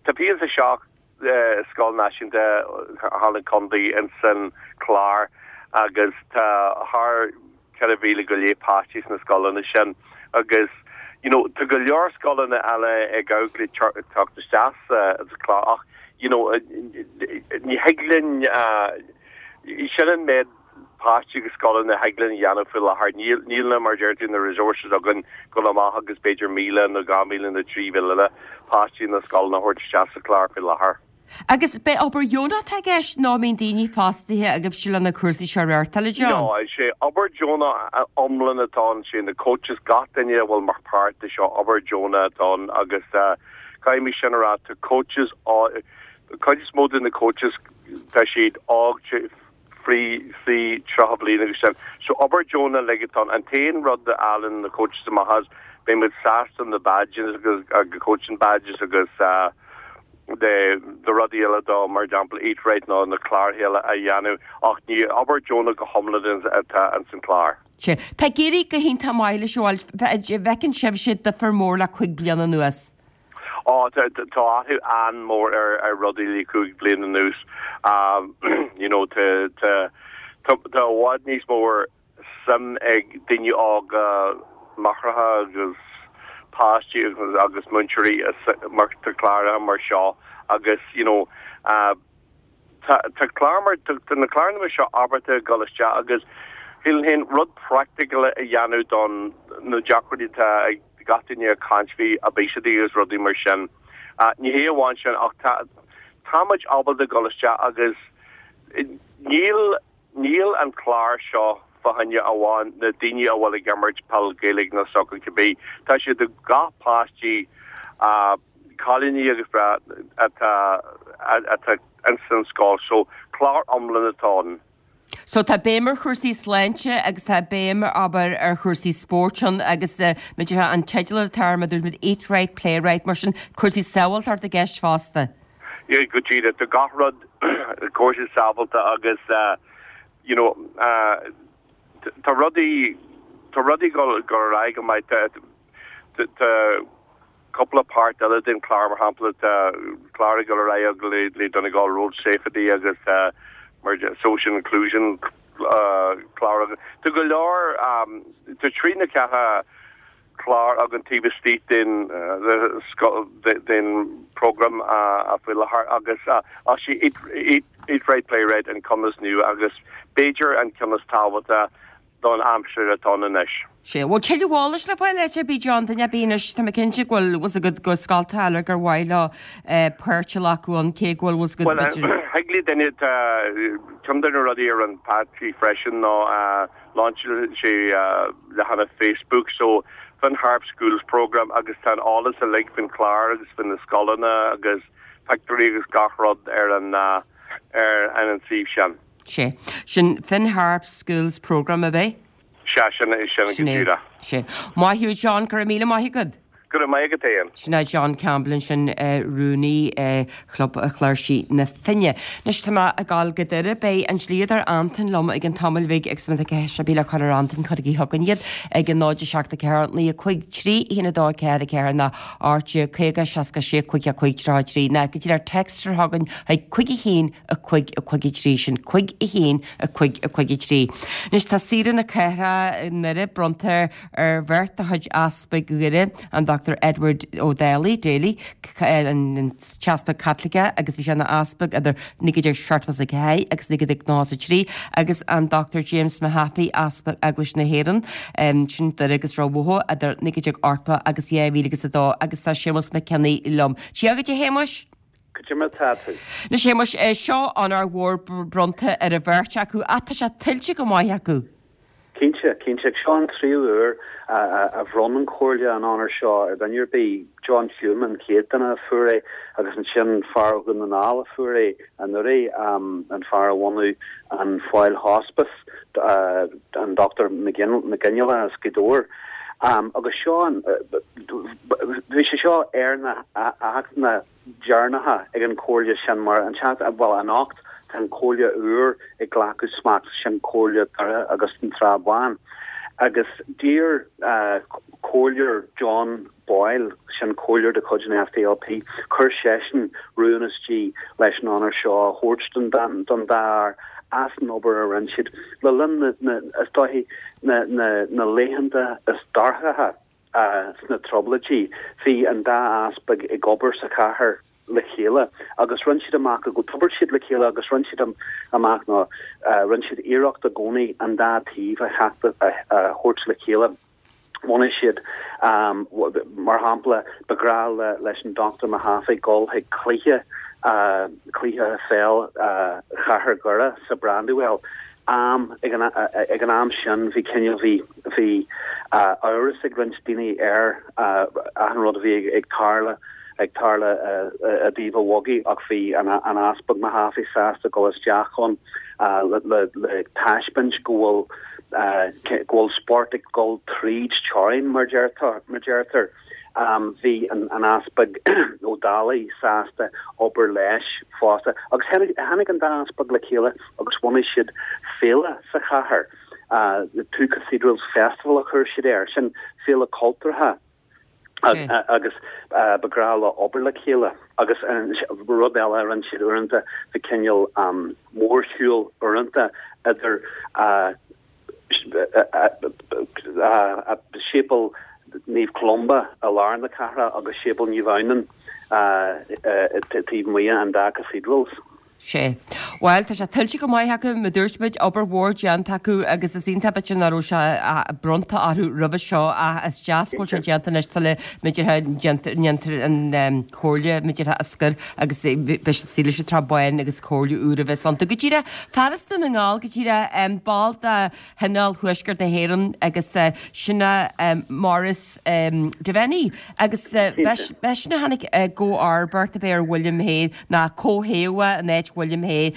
tá 27 scoil náisiúnta thall an contae ins an chlár agus tá thar 4,000 go leith páistí sna scoileanna sin agus you know tá go leor scoileanna eile ag amharc le teacht isteach sa chlár ach you know ní thig linn sin an méid páistí agus scoileanna a thig linn a dhéanamh faoi láthair. Níl, níl na, mar a deir tú, na resources againn dul amach agus b'fhéidir 1,000 nó 2,000 nó 3,000 eile páistí na scoileanna a thabhairt isteach sa chlár faoi láthair.
Agus ab é obair dheonach atá i gceist nó an mbíonn daoine fostaithe agaibhse le na cúrsaí seo a reáchtáil, a John?
No, is é obair deonach iomlán atá ann, sé na coaches, gach duine a bhfuil mar páirt de seo, obair deonach atá ann agus caithfidh mé sin a rá, tá coaches, cuid is mó de na coaches, tá siad óg, faoi faoi 30 bliain agus sin. So obair deonach uilig atá ann. An t-aon rud a fhaigheann na coaches amach as, beidh muid sásta na badges agus agus coaching badges agus de de rudaí eile do mar example Eat Right nó na cláir eile a dhéanamh ach ní obair deonach go hiomlán atá ins an clár.
Sea. Tá ag éirí go hiontach maith leis an bhfeiceann sibhse difear mór le cuig bliana anuas.
Á, tá athrú an-mhór ar rudaí le cúig bliana anuas. You know, tá tá tá i bhfad níos mó suim ag daoine óga, máithreacha agus páistí agus agus múinteoirí mar tá cláracha mar seo agus you know, Tá tá clár mar tá na cláranna mar seo ábalta dul isteach agus shílfinn féin rud practical a dhéanamh don na deacrachtaí atá ag gach duine ag caint faoi obesity agus rudaí mar sin. Ní hé amháin sin ach tá tá muid ábalta dul isteach agus níl Níl an clár seo fá choinne amháin na daoine a bhfuil ag imirt peil Gaeilge nó sacar cibé. Tá sé do gach páistí, cailíní agus breá atá atá ins an scoil. So clár iomlán atá ann.
So tá béim ar chúrsaí sláinte agus tá béim abair ar chúrsaí spóirt ann agus b'fhéidir an teideal atá air mar dúirt muid Eat Right, Play Right mar sin cúrsaí sábháilteachta i gceist fosta.
Yeah, go díreach. Tá gach rud cúrsaí sábháilte agus you know tá rudaí tá rudaí ag dul ar aghaidh go maith. Tá tá cúpla páirt eile den chlár mar shampla tá clár ag dul ar aghaidh le le Donegal Road Safety agus mar social inclusion clár agus tá go leor tá trí nó ceathair clár againn taobh istigh den den program faoi láthair agus ach sé Eat Right Play Right an ceann is nua agus b'fhéidir an ceann is tábhachtaí. don aimsir atá ann anois.
Sea, bhfuil tuilleadh eolais le fáil áit ar bith, John, duine ar bith anois, tá mé cinnte go bhfuil fhios agat go scoltacha eile gur mhaith leo páirt a ghlacadh ann, cé go bhfuil fhios agat
Bhuel,
b'fhéidir.
thig le duine, tá ceann de na rudaí a rinne Patsy freisin ná lainseáil sé leathanach Facebook, so Finn Harps Schools Programme agus tá an eolas uilig faoin chlár agus faoi na scoileanna agus pictiúirí agus gach rud ar an ar an suíomh sin.
Sea. Sin Finn Harps Schools Programme, ab é?
Sea, sin é, sin
Sin
go
é.
díreach.
Sea. Maith thú, John, go raibh míle maith agat.
Go raibh maith agat féin.
Sin é John Campbell ansin, rúnaí Chlub Chláirsigh na Finne. Anois tá mé ag dul go Doire. Beidh an dlíodóir Antain liom i gcionn tamaill bhig agus má tá ceist ar bith le cur ar Antain cuirigí chugainn iad ag 0 7 4 9 5 3 1 2 4 4 nó 18 50 66 55 33 nó go díreach text chugainn chuig 5 1 5 5 3 sin 5 1 5 5 3. Anois tá Saoire na Cathrach i nDoire bronnta ar bheirt de chuid Easpaig Dhoire, an Dr Edward Ó Dálaigh, Daly, an tEaspag Caitliceach agus bhí sé ina easpag idir 1974 agus 1993, agus an Dr James Mahaffey, Easpag Eaglais na hÉireann, sin Doire agus Ráth Bhoth, idir 1980 agus 2002 agus tá Séamus Mac Cionnaith liom. Dia dhuit a Shéamuis!
Cad é mar atá tú?
Anois Shéamuis, seo onóir mhór bronnta ar an bheirt acu ach tá sé tuillte go maith acu.
Cinnte, cinnte. Seo an tríú huair a bhronn an Chomhairle an onóir seo ar dhuine ar bith. John Hume an chéad duine a fuair é agus ansin fear ó Dhún na nGall a fuair é anuraidh, an fear a bhunaigh an Foyle Hospice, an Dr Mac Fhionnghaile as Gaoth Dobhair. Agus seo an, bhí sé seo ar na hachtanna deireanacha ag an Chomhairle sin mar an tseachtain, bhuel anocht tá an Chomhairle úr ag glacadh smacht, sin Comhairle Dhoire agus an Trá Bháin. Agus d'iarr Comhairleoir John Boyle, sin Comhairleoir de chuid an SDLP, chuir seisean rún istigh leis an onóir seo a thabhairt don dá fhear as an obair a rinne siad le linn na, is dóichí, na laethanta is dorcha. Sna Trioblóidí, bhí an dá easpag ag obair sa chathair le chéile agus rinne siad amach go d'obair siad le chéile agus rinne siad amach nó rinne siad iarracht i gcónaí an dá taobh a theacht a thabhairt le chéile. Bhunaigh siad, mar shampla, ba ghnách leis an Dr Mahaffey dul chuig cluiche, cluiche pheil Chathair Dhoire sa Brandywell. am, ag an ag an am sin bhí cineál, bhí, bhí amhras ag roinnt daoine ar achan rud a bhí ag tarlú, ag tarlú i dtaobh an bhogaigh ach bhí an an Easpag Mahaffey sásta dul isteach ann le le le taispeáint go bhfuil go bhfuil spórt ag dul tríd teorainn mar deirtear, mar deirtear. Bhí an Easpag Ó Dálaigh sásta obair leis fosta agus tháinig an dá easpag le chéile agus bhunaigh siad féile sa chathair, The Two Cathedrals Festival a chuir siad air, sin féile cultúrtha agus ba ghnách leo obair le chéile. Agus rud eile a rinne siad uaireanta, bhí cineál mórshiúl uaireanta idir Séipéal Naomh Columba i lár na cathrach agus Séipéal Naomh Adhamhnáin taobh amuigh an dá cathedrals.
Sea. Bhuel, tá sé tuillte go maith acu, mar dúirt muid, obair mhór déanta acu agus is iontach b'fhéidir nach raibh sé bronnta orthu roimhe seo ach is deas go bhfuil sé déanta anois sula mb'fhéidir ndéantar an chomhairle b'fhéidir a scor agus beidh siad istigh leis an Trá Bháin agus comhairle úr a bheas iontu. Go díreach, fear as Dún na nGall, go díreach, ball de Thionól Thuaisceart na hÉireann agus sin é Maurice Devenney agus b'eisean a tháinig i gcomharbacht ab é ar William Hay ná comhthaobhadh in áit William Hay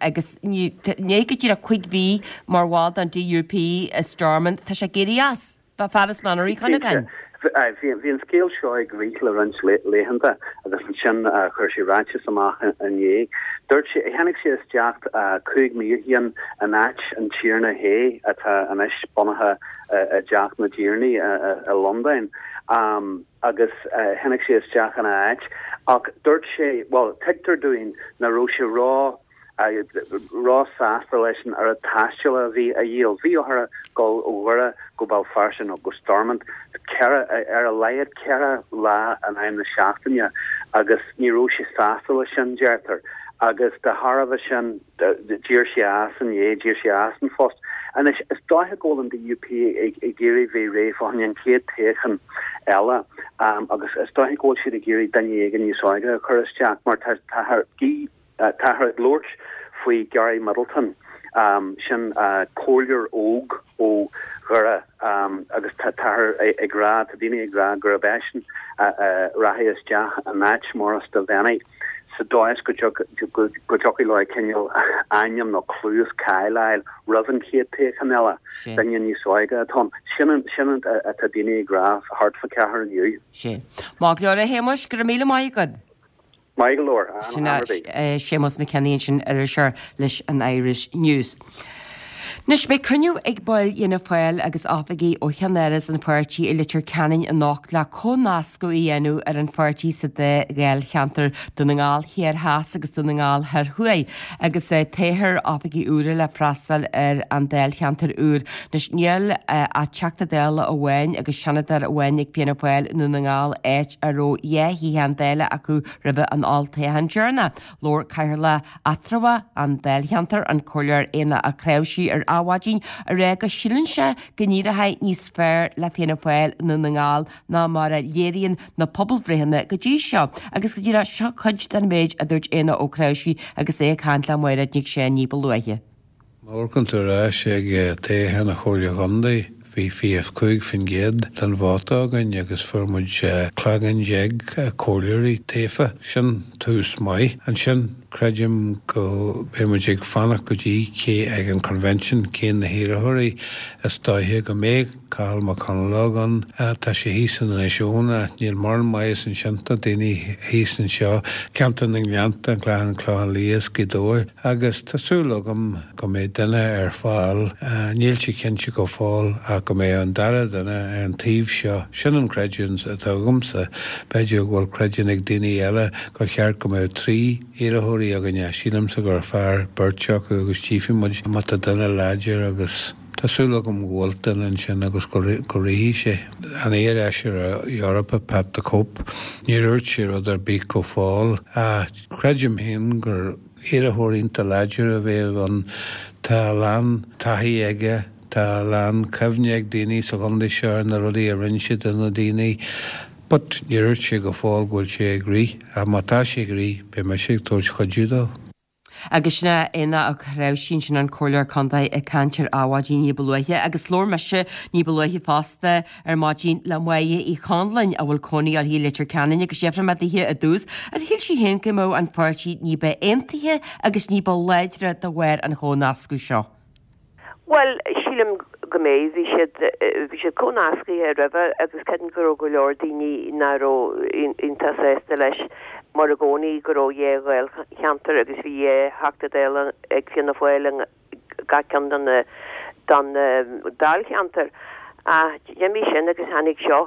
agus i ndiaidh go díreach 5 mhí mar bhall den DUP i Stormont tá sé ag éirí as. Fear as Mainír Uí Chuinneagáin.
Bhí an scéal seo ag rith le roinnt laethanta agus ansin chuir sé ráiteas amach inné. Dúirt sé, tháinig sé isteach 5 mí ó shin in áit an Tiarna Hay atá anois bunaithe i dTeach na dTiarnaí i Londain agus tháinig sé isteach ina áit ach dúirt sé, bhuel tuigtear dúinn nach raibh sé ró ró-sásta leis an oiread taistil a bhí a dhíol. Bhí orthu dul ó Dhoire go Béal Feirste nó go Stormont ceithre, ar a laghad ceithre lá in aghaidh na seachtaine agus ní raibh sé sásta leis sin, deirtear. Agus de thairbhe sin, d'éirigh sé as inné, d'éirigh sé as an phost. Anois, is dóiche go bhfuil an DUP ag iarraidh bheith réidh fá choinne an chéad toghchán eile agus is dóiche go bhfuil siad ag iarraidh duine éigin níos óige a chur isteach mar táthar ag labhairt faoi Gary Middleton, sin comhairleoir óg ó Dhoire agus táthar ag rá, tá daoine ag rá gurb eisean a rachaidh isteach in áit Maurice Devenney. sa dóigh is go dtiocfadh leo cineál ainm nó clú is cáil a fháil roimh an chéad toghchán eile. Duine níos óige atá ann. Sin sin atá daoine ag rá thart fá cheathair inniu.
Sea. Maith go leor a Shéamuis, go raibh míle maith agat.
Maith go leor,
Sin é Séamus McKinney ansin, iriseoir leis an Irish News. Anois, beidh cruinniú ag baill Fhianna Fáil agus oifigigh ó cheannáras an pháirtí i Leitir Ceanainn anocht le comhnascadh a dhéanamh ar an pháirtí sa dá dháilcheantar, Dún na nGall Thiar Theas agus Dún na nGall Thoir Thuaidh, agus toghfar oifigigh úra le freastal ar an dáilcheantar úr. Anois, níl ach Teachta Dála amháin agus Seanadóir amháin ag Fianna Fáil i nDún na nGall, áit a raibh 2 shuíochán Dála acu roimhe an olltoghchán deireanach. Labhair Cathaoirleach eatramhach an dáilcheantair, an Comhairleoir Éanna Ó Cnáimhsí ar Adhmhaidin, ag rá go síleann sé go n-éireoidh níos fearr le Fianna Fáil i nDún na nGall ná mar a léiríonn na pobalbhreitheanna go dtí seo. Agus go díreach, seo cuid den méid a dúirt Éanna Ó Cnáimhsí agus é ag caint le Máiréad Nic Seáin ní ba luaithe.
Má amharcann tú ar ais ag toghchán an Chomhairle Chontae, bhí 25% den vóta againn agus fuair muid cloigeann déag comhairleoirí tofa. Sin tús maith. Ansin, creidim go mbeidh muid ag fanacht go dtí cé ag an Convention cé na hiarrthóirí is dóiche go mbeidh. Cathal Mac Conalóg ann. Tá sé thíos in Inis Eoghain ach níl mórán maitheas ansin do daoine thíos anseo, ceantar na nGleannta, an Clachán, Clochán Liath is Gaoth Dobhair agus tá súil agam go mbeidh duine ar fáil, níl sé cinnte go fóill ach go mbeidh an dara duine ar an taobh seo. Sin an creidiúint atá agamsa. B'fhéidir go bhfuil creidiúint ag daoine eile gur cheart go mbeadh 3 iarrthóirí againne. Sílimse gur fearr beirt acu agus tchífidh muid má tá duine láidir agus. Tá súil agam go bhfuil duine ansin agus go rithfidh sé. An iar-fheisire Eorpach Pat the Cope, níor dhúirt sé rud ar bith go fóill ach creidim féin gur iarrthóir iontach láidir a bheadh ann. Tá a lán taithí aige, tá a lán cuimhne ag daoine sa chontae seo ar na rudaí a rinne sé do na daoine. But níor dhúirt sé go fóill go bhfuil sé ag rith ach má tá sé ag rith beidh mise ag tabhairt cuidiú dó.
Agus sin é Éanna Ó Cnáimhsí ansin an Comhairleoir Contae ag caint ar Adhmhaidin ní ba luaithe agus labhair mise ní ba luaithe fosta ar maidin le Máire Uí Chonluain a bhfuil cónaí uirthi i Leitir Ceanainn agus d'fhiafraigh mé dithe i dtús ar shíl sí féin go mbeadh an pháirtí ní ba aontaithe agus ní ba láidre de bharr an chomhnascadh seo.
Bhuel, sílim go mbeidh. Bhí siad, bhí siad comhnascaithe roimhe agus creidim go raibh go leor daoine nach raibh iontach sásta leis mar i gcónaí go raibh dhá Ghaelcheantar agus bhí dhá Theachta Dála ag Fianna Fáil i gach ceann de na, den Dáilcheantar. Ach d'imigh sin agus tháinig seo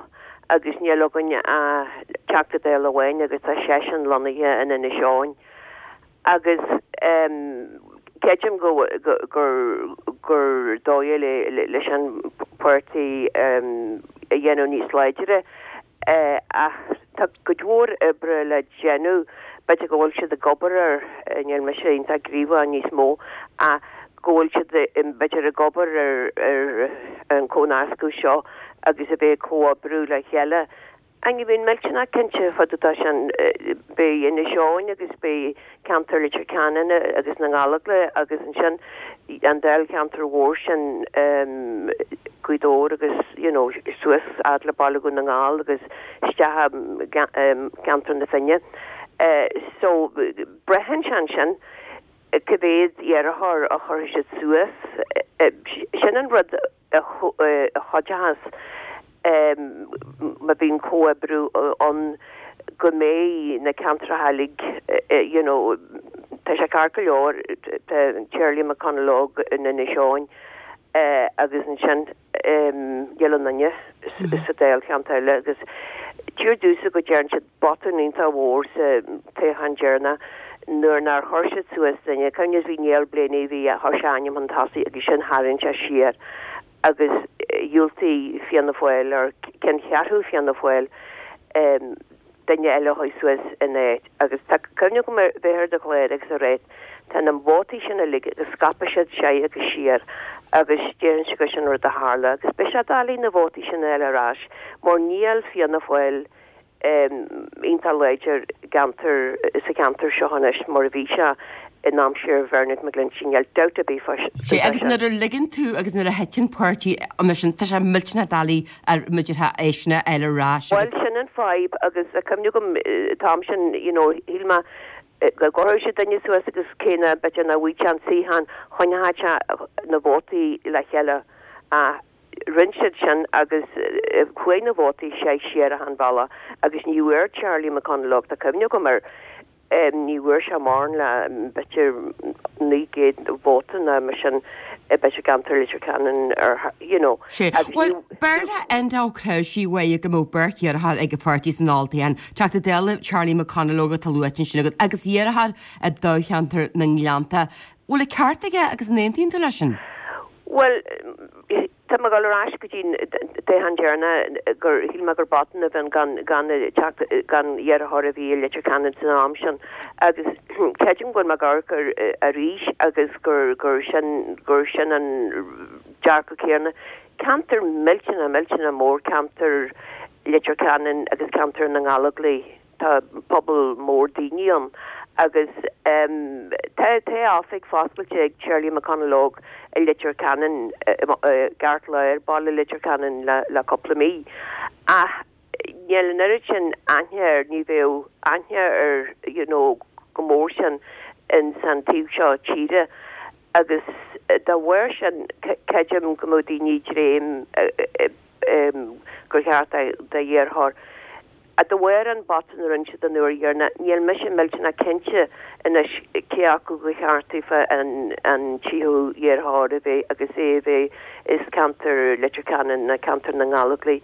agus níl againn ach Teachta Dála amháin agus tá seisean lonnaithe in Inis Eoghain. Agus creidim go gur dóigh leis an pháirtí a dhéanamh níos láidre ach tá cuid mhór oibre le déanamh. B'fhéidir go bhfuil siad ag obair air, níl mise iontach gníomhach níos mó, ach go bhfuil siad b'fhéidir ag obair ar an chomhnascadh seo agus a bheith ag comhoibriú le chéile. Ach ní bhíonn millteanach cinnte fá dtaobh de sin. Beidh Inis Eoghain agus beidh ceantar Leitir Ceanainn agus na Gallóglaigh agus ansin an dáilcheantar mhór sin Gaoth Dobhair agus you know suas fhad le Baile Dhún na nGall agus isteach i gceantar na Finne. So braitheann sé ansin cá mhéad iarrthóir a chuirfidh siad suas. Sin an rud. a chuideochas má bhíonn comhoibriú ann go mbeidh na ceantracha uilig you know tá sé ceart go leor tá Charlie McConalogue in Inis Eoghain agus ansin níl aon duine sa dáilcheantar eile agus títear domhsa go dtearn siad botún iontach mhór sa toghchán deireanach nuair nár chuir siad suas duine, cuimhnigh bhí Niall Blaney, bhí, chuir sé a ainm chun tosaigh agus sin tharraing sé siar agus dhiúltaigh Fianna Fáil or ceanncheathrú Fianna Fáil duine eile a chur suas ina áit agus tá cuimhne agam ar bheith ar do chlár agus a rá tá na vótaí sin uilig agus scaipfidh siad soir agus siar. Agus déarfainnse gur sin rud a tharla agus beidh sé doiligh na vótaí sin a fháil ar ais mar níl Fianna Fáil iontach láidir gceantar, sa cheantar seo anois mar a bhí sé in aimsir Bhernard McGlinchey, níl dabht ar bith fá
Sea, agus nuair a ligeann tú agus nuair a thiteann páirtí mar sin, tá sé millteanach doiligh muideartha eisean a fháil ar ais
Bhuel, sin an fadhb agus tá cuimhne agam an t-am sin, you know, shíl mé go gcuirfeadh sé duine suas agus cé nach, b'fhéidir nach bhfaigheadh sé an suíochán, choinneodh sé na vótaí le chéile ach rinne siad sin agus chuaigh na vótaí sé siar achan bhealach agus ní bhfuair Charlie McConalogue, tá cuimhne agam air, ní bhfuair sé mórán le b'fhéidir 900 vóta nó mar sin b'fhéidir i gceantar Leitir Ceanainn ar you know.
Sea. Bhuel, b'fhearr le Enda Ó Cnáimhsí uaidh go mbeadh beirt iarrthóir ag an pháirtí san olltoghchán, Teachta Dála Charlie McConalogue atá luaite ansin agat agus iarrthóir i dtoghcheantar na nGleannta. Bhfuil an ceart aige agus an aontaíonn tú leis sin?
Bhuel, tá mé ag dul ar ais go dtí an toghchán deireanach gur shíl mé gur botún a bhí ann gan gan teacht gan iarrthóir a bhí i Leitir Ceanainn san am sin agus creidim go bhfuil mé ag amharc air arís agus gur gur sin gur sin an dearcadh céanna. Ceantar millteanach millteanach mór ceantar Leitir Ceanainn agus ceantar na nGallóglach. Tá pobal mór daoine ann agus tá tá oifig foscailte ag Charlie McConalogue i Leitir Ceanainn, i gceartlár baile Leitir Ceanainn le le cúpla mí. Ach níl an oiread sin aithne air, ní bheadh aithne air you know chomh mór sin ins an taobh seo tíre agus dá bharr sin creidim go mbeadh daoine ag dréim gur cheart d'iarrthóir Ach de bharr an botún a rinne siad an uair dheireanach, níl mise millteanach cinnte anois cé acu gur cheart daofa an tríú iarrthóir a bheith agus é a bheith as ceantar Leitir Ceanainn nó ceantar na nGallóglach.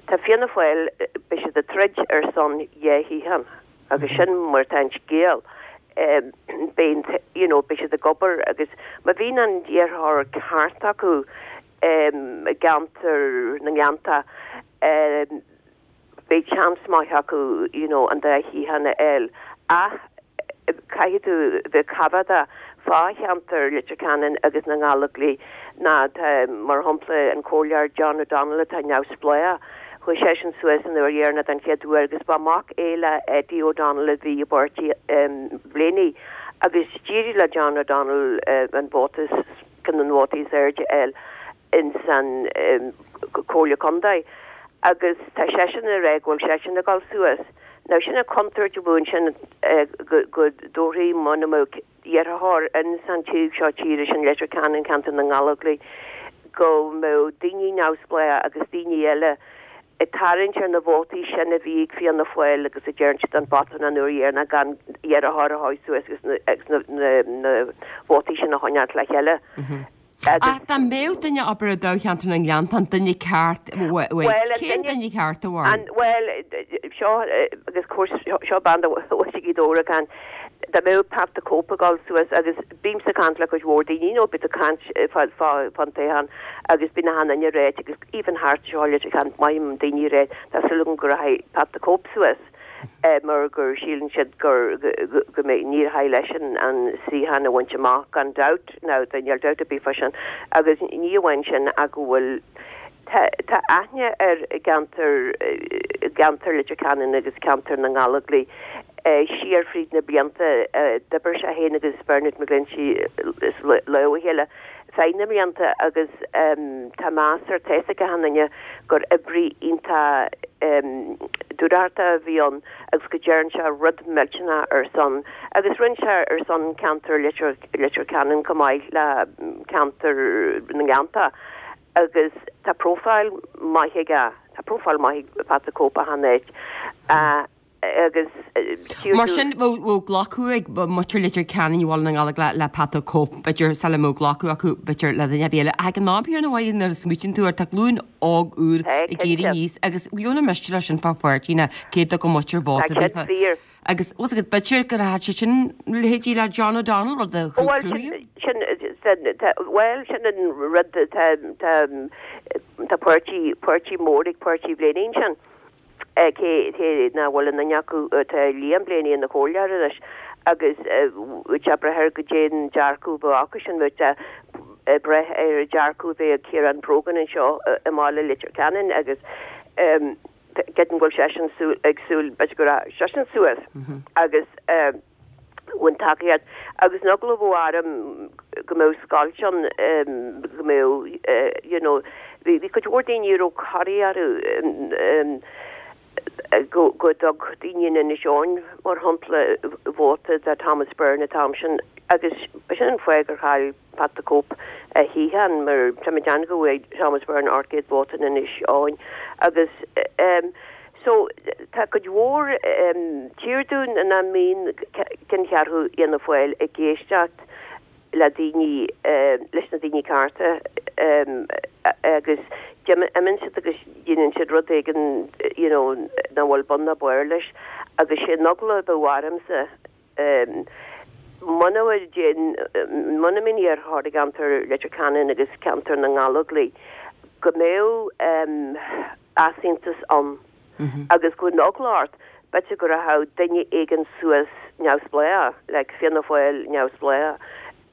Tá Fianna Fáil, beidh siad ag troid ar son dhá shuíochán agus sin mar atá an scéal. Beidh, you know, beidh siad ag obair agus má bhíonn an iarrthóir ceart acu i gceantar na nGleannta, beidh seans maith acu you know an dá shuíochán a fháil ach caithfidh tú bheith coimhéadach fá cheantar Leitir Ceanainn agus na nGallóglach ná tá mar shampla an comhairleoir John O'Donnell atá neamhspleách chuaigh seisean suas an uair dheireanach den chéad uair agus ba mac é le Eddie O'Donnell a bhí i bpáirtí Bhlaney agus d'éirigh le John O'Donnell an vóta ceann de na vótaí is airde a fháil ins an Comhairle Contae agus tá seisean ag rá go bhfuil seisean ag dul suas. Now sin an chontúirt a bhí ansin go dtabharfaí muna mbeadh iarrthóir ins an taobh seo tíre sin Leitir Ceanainn, ceantar na nGallóglach, go mbeadh daoine neamhspleách agus daoine eile ag tarraingt ar na vótaí sin a bhí ag Fianna Fáil agus a deireann siad an botún an uair dheireanach gan iarrthóir a thoghadh suas agus na vótaí sin a choinneáilt le chéile.
Ach dá mbeadh duine abair i dtoghcheantar na nGleanntán, duine ceart uait, cén duine ceart a bharúil?
Bhuel, seo, agus of course, seo bean de mhuintir Ghaoth Dobhair ag caint, dá mbeadh Pat the Cope ag dul suas agus bímse ag caint le cuid mhór daoine, you know, bíonn tú ag caint fán toghchán agus bíonn achan duine ag ráit agus even thart anseo i Leitir Ceanainn, mothaím daoine ag ráit, tá súil agam go rachaidh Pat the Cope suas. mar gur síleann siad gur go mbeidh ní rachaidh leis an suíochán a bhaint amach gan dabht now níl dabht ar bith fá sin agus ní amháin sin ach go bhfuil tá tá aithne air i gceantar i gceantar Leitir Ceanainn agus ceantar na nGallóglach siar fríd na blianta d'oibir sé féin agus Bernard McGlinchey lámh a chéile feadh na mblianta agus tá meas air tá fhios ag achan duine gur oibrí iontach dúthrachtach a bhí ann agus go dtearn sé rud millteanach ar son agus rinne sé ar son ceantar Leitir Leitir Ceanainn chomh maith le ceantar na nGleannta agus tá profile maith aige tá profile maith ag Pat the Cope achan áit.
Agus Mar sin, bheadh glacadh ag muintir Leitir Ceanainn Bhaile na nGallóglach le Pat the Cope, b'fhéidir, sula mbeadh glacadh acu, b'fhéidir, le duine ar bith eile. Ach ag an am céanna, nuair a smaoitíonn tú air, tá glúin óg úr ag éirí aníos agus gheobhaidh na miste leis sin fá pháirtí ná cé dtugann muintir vóta daofa. Agus, bhfuil a fhios agat, b'fhéidir go rachadh sé sin leithéidí le John O'Donnell, rud a chruthaíonn.
Bhuel, sin an rud, tá páirtí, páirtí mór ag páirtí Bhlaney ansin. Cé nach bhfuil aon duine acu, tá Liam Blaney ina chomhairleoir anois agus bheadh sé ag brath ar goidé an dearcadh a bheadh acu sin. Bheadh sé ag brath ar an dearcadh a bheidh ag Ciarán Brogan anseo i mbaile Leitir Ceanainn agus creidim go bhfuil seisean ag súil b'fhéidir go rachaidh seisean suas agus bhain tacaíocht agus an eagla a bheadh orm go mbeadh scoilt ann go mbeadh you know bhí cuid mhór daoine a raibh corraí orthu go dtug daoine in Inis Eoghain mar shampla vóta do Thomas Byrne an t-am sin agus b'shin an fáth gur chaill Pat the Cope a shuíochán mar tá mé ag déanamh go bhfuair Thomas Byrne 800 vóta in Inis Eoghain agus so tá cuid mhór tír dúinn nach mbíonn ceanncheathrú Fhianna Fáil ag éisteacht le daoine, leis na daoine cearta agus imíonn siad agus déanann siad rud éigin you know nach bhfuil bun ná barr leis agus sé an eagla a bheadh ormsa muna muna mbíonn iarrthóir i gceantar Leitir Ceanainn agus ceantar na nGallóglach go mbeadh easaontas ann agus go bhfuil an eagla ort, b'fhéidir go rachadh duine éigin suas neamhspleách, like Fianna Fáil neamhspleách.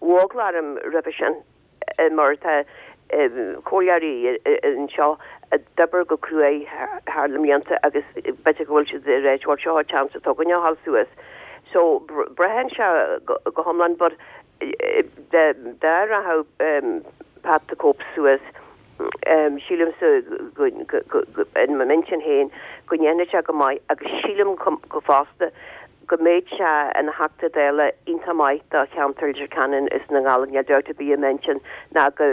Bheadh eagla orm roimhe sin mar tá comhairleoirí anseo a d'oibir go cruaidh thar na mblianta agus b'fhéidir go bhfuil siad ag ráit bhuel seo an chance atá againne a ghabháil suas. So braitheann sé go hiomlán but dá rachadh Pat the Cope suas, Sílimse in m'intinn féin go ndéanfaidh sé go maith agus sílim go fosta go mbeidh sé ina Theachta Dála iontach maith do cheantar Leitir Ceanainn is na nGallóglach. Níl dabht ar bith i m'intinn ná go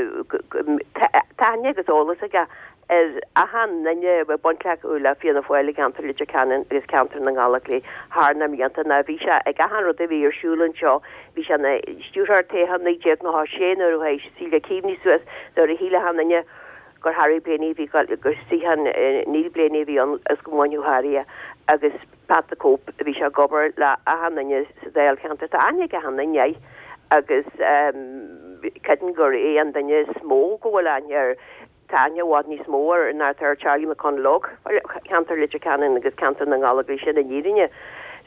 tá aithne agus eolas aige ar achan duine a bhfuil baint acu le Fianna Fáil i gceantar Leitir Ceanainn agus ceantar na nGallóglach thar na mblianta ná bhí sé ag achan rud a bhí ar siúl anseo Bhí sé ina stiúrthóir toghcháin 1996 nuair a chuaigh Celia Keaveney suas nuair a shíl achan duine gur Harry Blaney a bhí gur suíochán Neil Blaney a bhí ann agus go mbainfeadh Harry é agus Pat the Cope bhí sé ag obair le achan duine sa Dáilcheantar. Tá aithne ag achan duine air agus creidim gur é an duine is mó go bhfuil aithne air. Tá aithne i bhfad níos mó air ná atá ar Charlie McConalogue, ceantar Leitir Ceanainn agus ceantar na nGallóglach sin i bhfírinne.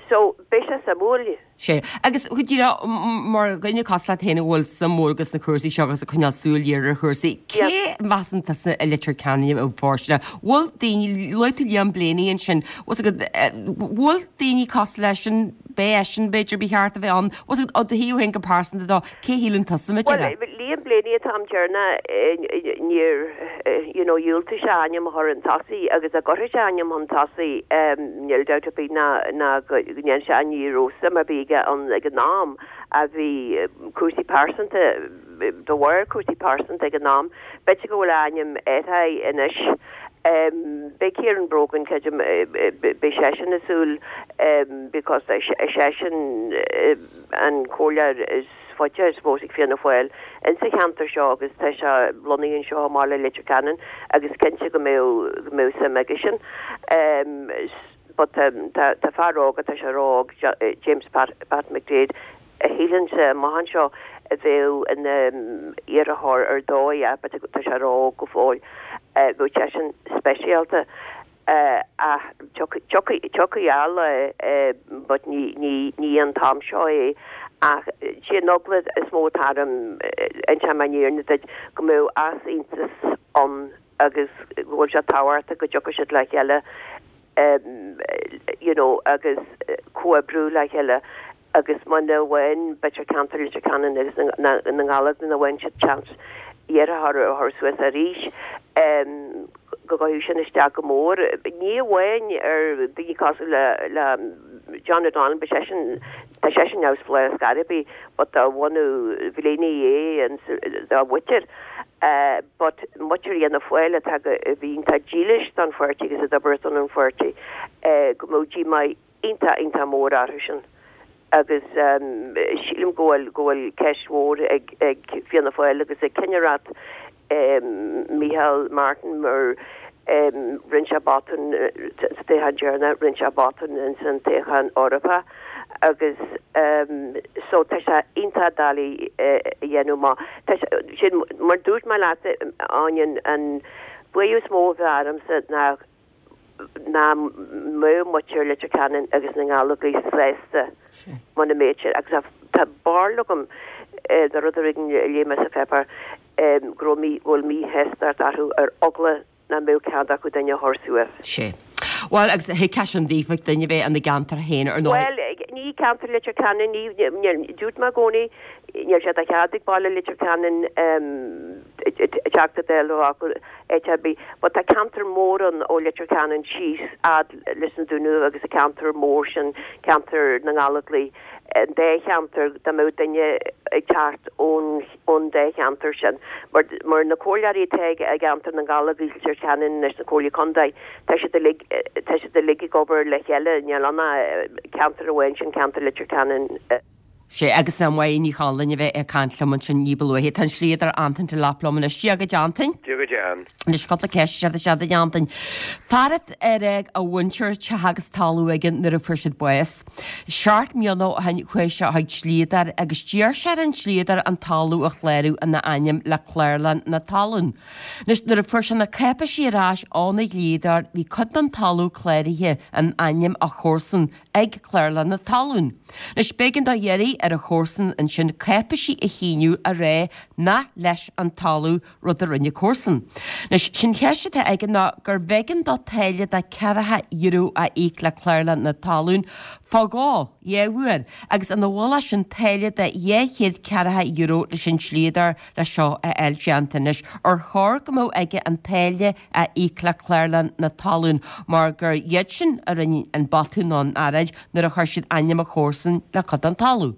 So, beidh sé suimiúil.
Sea. Agus go díreach, mar dhuine cosúil leat féin a bhfuil suim mhór agat sna cúrsaí seo agus ag coinneáil súil ghéar ar chúrsaí, cé measann tusa i Leitir Ceanainn a bheadh fóirsteanach? Bhfuil daoine, luaigh tú Liam Blaney ansin, bhfuil 's agat, bhfuil daoine cosúil leis sin, b'é eisean b'fhéidir ba cheart a bheith ann, bhfuil 's agat, ó do thaobh féin go pearsanta dó, Cé a shíleann tusa,
Bhuel, Liam Blaney an t-am deireanach, níor, you know, dhiúltaigh sé a ainm a chur chun tosaigh agus dá gcuirfeadh sé a ainm chun tosaigh, níl dabht ar bith ná ná go ndéanfadh sé, ní raibh suim ar bith aige ann ag an am ach bhí cúrsaí pearsanta, de bharr cúrsaí pearsanta ag an am, b'fhéidir go bhfuil a ainm athraithe anois. Beidh Ciarán Brogan, creidim, beidh seisean ag súil because seisean, an comhairleoir is faide, I suppose, ag Fianna Fáil insa cheantar seo agus tá sé lonnaithe anseo i mbaile Leitir Ceanainn agus cinnte go mbeadh go mbeadh suim aigesean. But tá tá fear óg, tá sé ró-óg, James Pat Pat McDaid, a shílimse amach anseo a bheadh ina iarrthóir ar dóigh, but tá sé ró-óg go fóill, bheadh seisean speisialta. Ach tiocfaidh a lá but ní an t-am seo é. Ach sé an eagla is mó atá orm, inseoidh mé an fhírinne duit, go mbeadh easaontas ann agus go bhfuil sé tábhachtach go dtiocfaidh siad le chéile you know agus comhoibriú le chéile agus muna bhfaigheann b'fhéidir ceantar Leitir Ceanainn agus na nGallóglach muna bhfaigheann siad seans iarrthóir a chur suas arís go gcuirfeadh sin isteach go mór. Ní amháin ar daoine cosúil le le John O'Donnell, beidh seisean, tá seisean neamhspleách ar scor ar bith but de bhunadh Bhlaney é dá mhuintir but muintir Fhianna Fáil atá go, a bhí iontach dílis don pháirtí agus a d'oibir ar son an pháirtí go mbeadh díomá iontach, iontach mór orthu sin agus sílim go bhfuil, go bhfuil ceist mhór ag, ag Fianna Fáil agus ag cinnireacht Micheál Martin mar rinne sé botún sa toghchán deireanach, rinne sé botún ins an toghchán Eorpach agus so tá sé iontach doiligh a dhéanamh amach. Tá sé, sin, mar dúirt mé leat, Áine, an buaireamh is mó a bheadh ormsa ná nach mbeadh muintir Leitir Ceanainn agus na nGallóglach sásta muna mbeadh siad, agus tá barúil agam de rud éigin a léigh mé sa pháipéar. go raibh mí, go bhfuil míshástacht orthu ar eagla nach mbeadh cead acu duine a chur suas.
Sea. Bhuel, agus thuigfeá sin daofa, duine a bheith ina gceantar féin, ar ndóigh.
Bhuel, ní ceantar Leitir Ceanainn, ní, ní, dúirt mé i gcónaí, níl sé de chead ag baile Leitir Ceanainn Teachta Dála a bheith acu áit ar bith, but tá ceantar mór ann ó Leitir Ceanainn síos fhad leis na Dúnaibh agus an ceantar mór sin, ceantar na nGallóglach, an dá cheantar, dá mbeadh duine ag teacht ón ón dá cheantar sin. Mar mar na comhairleoirí atá i gceantar na nGallóglach Leitir Ceanainn anois, na comhairleoirí contae, tá siad uilig tá siad uilig ag obair le chéile, níl ann ach ceantar amháin, sin ceantar Leitir Ceanainn.
Sea, agus Máire Ní Chonluain a bheith ag caint liom ansin ní ba luaithe. Tá an dlíodóir Antain Delap liom anois. Dia dhuit, Antain.
Dia dhuit, Ann.
Anois, cúpla ceist isteach isteach duit, Antain. Fear ar fhág a mhuintir teach agus talamh aige nuair a fuair siad bás. Seacht mbliana ó shin chuaigh sé chuig dlíodóir agus d'iarr sé ar an dlíodóir an talamh a chlárú ina ainm le Clárlann na Talún. Anois, nuair a fuair sé na cáipéisí ar ais óna dhlíodóir bhí cuid den talamh cláraithe in ainm a chomharsan ag Clárlann na Talún. Anois, b'éigean dó iarraidh ar a chomharsan ansin cáipéisí a shíniú a rá nach leis an talamh, rud a rinne comharsan. Anois, sé'n cheist atá aige ná gurbh éigean dó táille de ceathracha euro a íoc le Clárlann na Talún fá dhó, dhá uair, agus ina mhullach sin táille de 200 ceathracha euro leis an dlíodóir le seo a fháil déanta. Anois, ar chóir go mbeadh aige an táille a íoc le Clárlann na Talún mar gur iad sin a rinne an botún nó an earráid nuair a chuir siad ainm a chomharsan le cuid den talamh.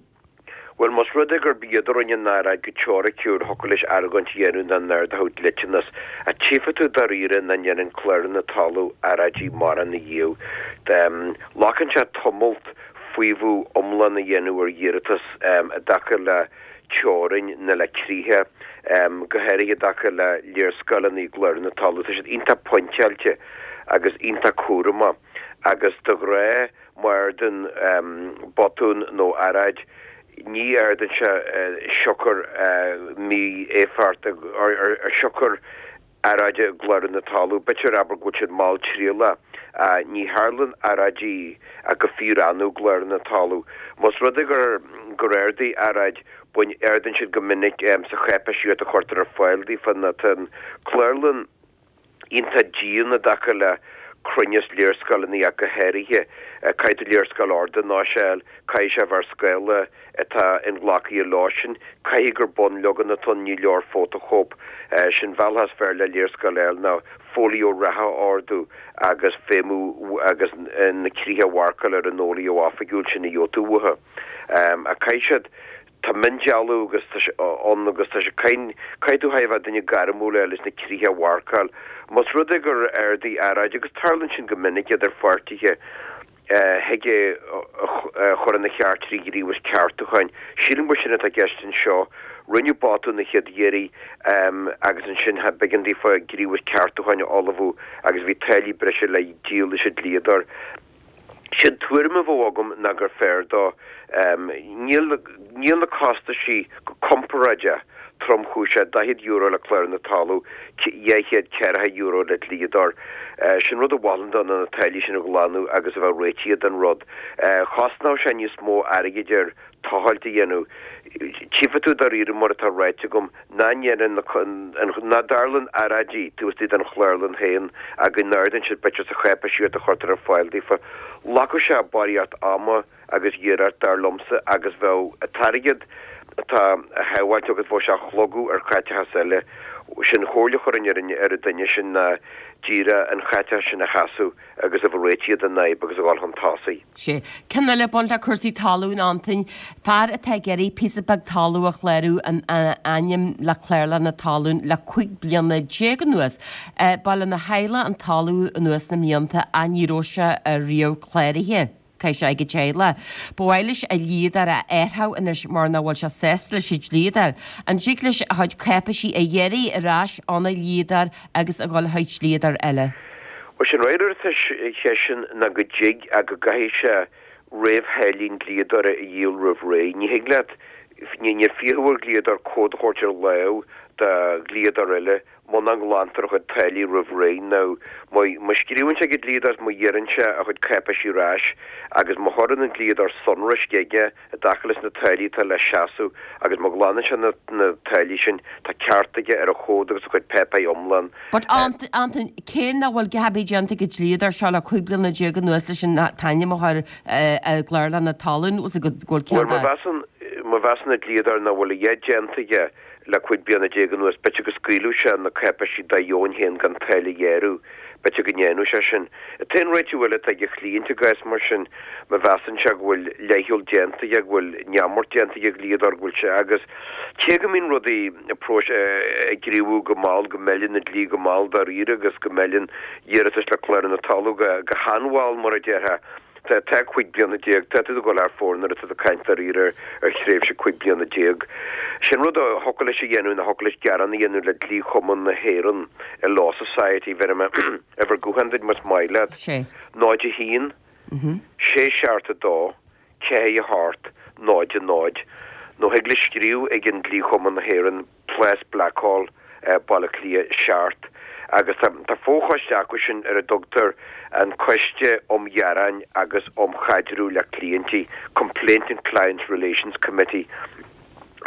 Bhuel, más rud é gurb iad a rinne an earráid go teoiriciúil, thiocfadh leis argóint a dhéanamh nach n-ardódh dliteanas. Ach tchífidh tú dáiríre nach ndéanann Clárlann na Talún earráidí mórán ariamh. Glacann sé tamalt faomhadh iomlán a dhéanamh ar iarratas i dtaca le teorainn nó le críocha, go háirithe i dtaca le léarscáileanna i gClárlann na Talún. Tá siad iontach pointeáilte agus iontach cúramach agus de ghnáth má ardaíonn botún nó earráid ní ardaíonn sé siocair mí-éifeacht ar siocair earráide i gClárlann na Talún. B'fhéidir, abair, go bhfuil siad malltriallach. Ní tharlaíonn earráidí ach go fíor-annamh i gClárlann na Talún. Más rud é gur gur ardaigh earráid, bain, ardaíonn siad go minic sa cháipéisíocht a chuirtear ar fáil daofa nó tá an Clárlann iontach dian i dtaca le cruinneas léarscáileanna ach go háirithe. Caithfidh tú léarscáil ordanáis a fháil, caithfidh sé a bheith ar scála atá inghlactha leosan, caithfidh gur bunleagan atá ann, ní leor fótachóip. Sé'n bealach is fearr le léarscáil a fháil ná folio reatha a ordú agus feidhmiú agus na críocha a mharcáil ar an fholio oifigiúil sin a gheobhaidh tú uathu. Ach caithfidh siad, tá miondealú agus tá sé ann agus tá sé, caithfidh tú a bheith duine gairmiúil leis na críocha a mharcáil. Más rud é gur ardaigh earráid, agus tarlaíonn sin go minic idir pháirtithe, thig é a chur ina cheart trí ghníomhas ceartúcháin. Sílim gur sin atá i gceist anseo. Rinneadh botún an chéad iarraidh agus ansin b'éigean daofa gníomhas ceartúcháin a ullmhú agus bhí táillí breise le díol leis an dlíodóir. Sé'n tuairim a bheadh agam ná gur fearr dó. Níl níl na costaisí go comparáideach tromchúiseach, €40 le Clárlann na Talún, €240 le dlíodóir. Sé'n rud a mholfainn dó ná na táillí sin a ghlanadh agus a bheith réitithe den rud. Chosnódh sé níos mó airgid air tochailt a dhéanamh. Tchífidh tú dáiríre, mar atá ráite agam, nach ndéanann nach dtarlaíonn earráidí taobh istigh den chlárlann féin ach go n-ardaíonn siad b'fhéidir sa cháipéisíocht a chuirtear ar fáil daofa. Ghlacfadh sé barraíocht ama agus iarracht, dar liomsa, agus bheadh an t-airgead atá á shábháilt agat, bheadh sé á shlogadh ar chaiteachas eile. Sé'n chomhairle a chuirfinn ar an ar an duine sin ná díreach an chaiteachas sin a sheasamh agus a bheith réitithe den fhadhb agus a dhul chun tosaigh.
Sea. Ceann eile ag baint le cúrsaí talún, Antain. Fear atá ag iarraidh píosa beag talún a chlárú ina ainm le Clárlann na Talún le 15 bliana anuas. Ba lena theaghlach an talamh anuas na mblianta ach ní raibh sé riamh cláraithe. Tá sé ag an teaghlach. Ba mhaith leis a dhlíodóir a athrú anois mar nach bhfuil sé sásta leis an dlíodóir. An dtig leis a chuid cáipéisí a iarraidh ar ais óna dhlíodóir agus a dhul chuig dlíodóir eile?
Bhuel, sé'n fhreagra ar an cheist sin ná go dtig ach go gcaithfidh sé réamhtháillí an dlíodóra a dhíol roimh ré. Ní thig leat, níl fiacha ar dhlíodóir comhad a thabhairt ar láimh. do dhlíodóir eile muna nglantar a chuid táillí roimh ré. Now, má scríobhann sé ag an dlíodóir, má iarrann sé a chuid cáipéisí ar ais agus má chuireann an dlíodóir sonraisc aige i dtaca leis na táillí atá le seasamh agus má ghlanann sé na táillí sin, tá ceart aige ar a chomhad agus a chuid páipéir iomlán.
But Antain, cé nach bhfuil a dhath ar bith déanta ag an dlíodóir seo le 15 bliana anuas leis an t-ainm a chur i gclárlann na talún, bhfuil go bhfuil
ceann de. Bhuel, má mheasann an dlíodóir nach bhfuil a dhath déanta aige le 15 bliana anuas, b'fhéidir go scaoilfeadh sé na cáipéisí dá dheoin féin gan táille a ghearradh. B'fhéidir go ndéanfadh sé sin. An t-aon réiteach eile atá ag an chliant i gcás mar sin, má mheasann sé go bhfuil leithcheal déanta aige, go bhfuil neamart déanta ag an dhlíodóir, go bhfuil sé, agus cé go mbíonn rudaí ag gníomhú go mall, go meileann an dlí go mall dáiríre agus go meileann iarratais le Clárlann na Talún go han-mhall, mar a déarfá. Tá 15 bliana, tá tú ag dul thar fóir nuair atá tú ag caint dáiríre ar thréimhse 15 bliana. Sin rud a thiocfadh leis a dhéanamh ná thiocfadh leis gearán a dhéanamh le Dlí-Chumann na hÉireann, an Law Society, bhéarfaidh mé uimhir gutháin duit más maith leat, 0 1 6 7 2 4 8 0 0, nó thig leis scríobh ag an Dlí-Chumann na hÉireann, Plás Blackhall, Baile Átha Cliath 7, agus tá fochoiste acu sin ar a dtugtar an Coiste um Ghearáin agus um Chaidreamh le Cliaintí, Complaint and Client Relations Committee,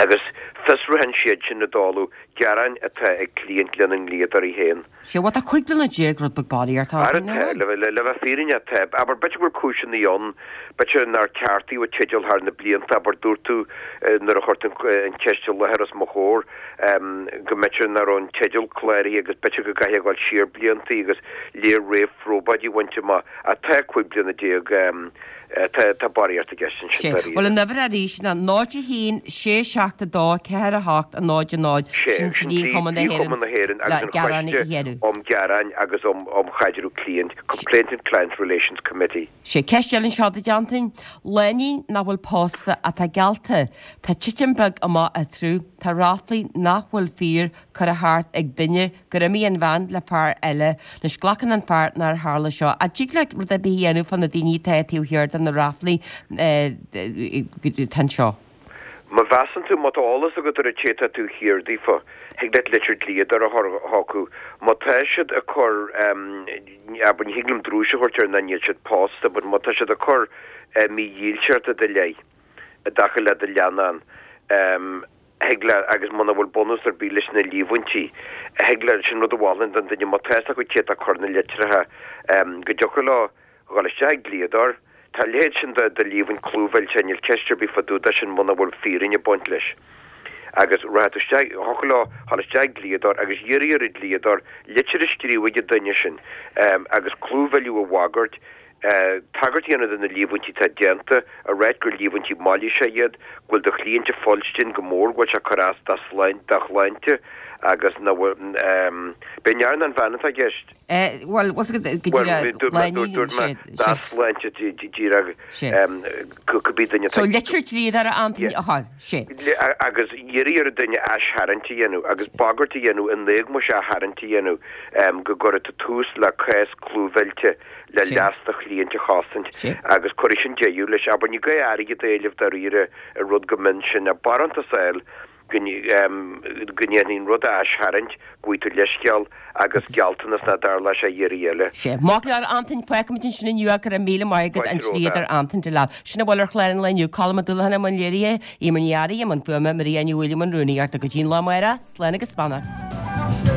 agus fiosraíonn siad sin i dtólamh gearáin atá ag cliaint lena ndlíodóirí féin.
Sea, bhuel tá 15 bliana rud beag barraíocht
Ara tá, le bheith fírinneach tá. Abair, b'fhéidir go bhfuil cúiseanna ann, b'fhéidir nár ceartaíodh an teideal thar na blianta, abair, dúirt tú nuair a chuir tú an cheist i láthair os mo chomhair, go mb'fhéidir nach raibh an teideal cláraithe agus b'fhéidir go gcaithfidh a ghabháil siar blianta agus léir réamhphrobháidí a bhaint amach. Ach tá 15 bliana Tá barraíocht i gceist ansin,
dáiríre. Bhuel, an uimhir arís ná 0 1 6 7 2 4 8 0 0,
sin Dlí-Chumann na
Héireann
na hÉireann agus an Coiste um Ghearáin agus um Chaidreamh Cliaint, Complaint and Client Relations Committee.
Sé ceist eile anseo duit, Antain. Lánúin nach bhfuil pósta ach atá geallta. Tá titim beag amach eatarthu. Tá ráflaí nach bhfuil fíor curtha thart ag duine gur imigh an bhean le fear eile. Anois glacann an fear nár tharla seo. An dtig leat rud ar bith a dhéanamh fá na daoine atá taobh thiar de na ráflaí atá anseo?
Má mheasann tú, má tá eolas agat ar an té atá taobh thiar daofa, thig leat litir dlíodóra a chur chucu. Má tá siad ag cur, abair, ní thig liom drúis a thabhairt air ná níl siad pósta, but má tá siad ag cur mídhílseacht i do leith i dtaca le do leannán, thig leat, agus muna bhfuil bunús ar bith leis na líomhaintí, thig leat, sin rud a mholfainn don duine, má tá fhios acu cé atá ag cur na litreacha, go dtiocfadh leo dhul isteach ag dlíodóir. Tá a leithéid sin de líomhaint clúmhillte, níl ceist ar bith fá dtaobh de sin muna bhfuil fírinne ag baint leis. Agus rachaidh tú isteach, thiocfadh leo dhul isteach ag dlíodóir agus iarraidh ar an dlíodóir litir a scríobh ag an duine sin agus clúmhilleadh a bhagairt, tagairt a dhéanamh do na líomhaintí atá déanta, a ráit gur líomhaintí mailíseacha iad, go bhfuil do chliant ag fuilstin go mór, go bhfuil sé ag cur as dá shláinte agus nach bhfuil, b'é an fhear nó an bhean atá i gceist?
Bhuel, bhfuil go
díreach, dúirt mé dá shláinte díreach cibé duine
atá. So litir dlíodóra Antaine a chur, sé.
Agus iarraidh ar an duine aistharraingt a dhéanamh agus bagairt a dhéanamh in éagmais aistharraingt a dhéanamh go gcuirfidh tú tús le cás clúmhillte le leas do chliaint a chosaint agus cuirfidh sin deireadh leis. Abair, ní gá airgead a éileamh dáiríre ar rud chomh mion sin, ach barántas a fháil go ndéanfaí an rud a aistharraingt, go bhfaighidh tú leithscéal agus gealltanas nach dtarlóidh sé a iarraidh eile.
Sé. Maith go leor, Antain, fágfaimid ansin inniu é, go raibh míle maith agat, an dlíodóir Antain Delap. Sin a bhfuil ar chlár an lae inniu, Colm Ó Dúlacháin i mbun léirithe, Eimear Ní Fhearraigh i mbun fuaime, Maria Ní Mhaoileoin i mbun rúnaíochta. Go dtí an lá amárach, slán agus beannacht.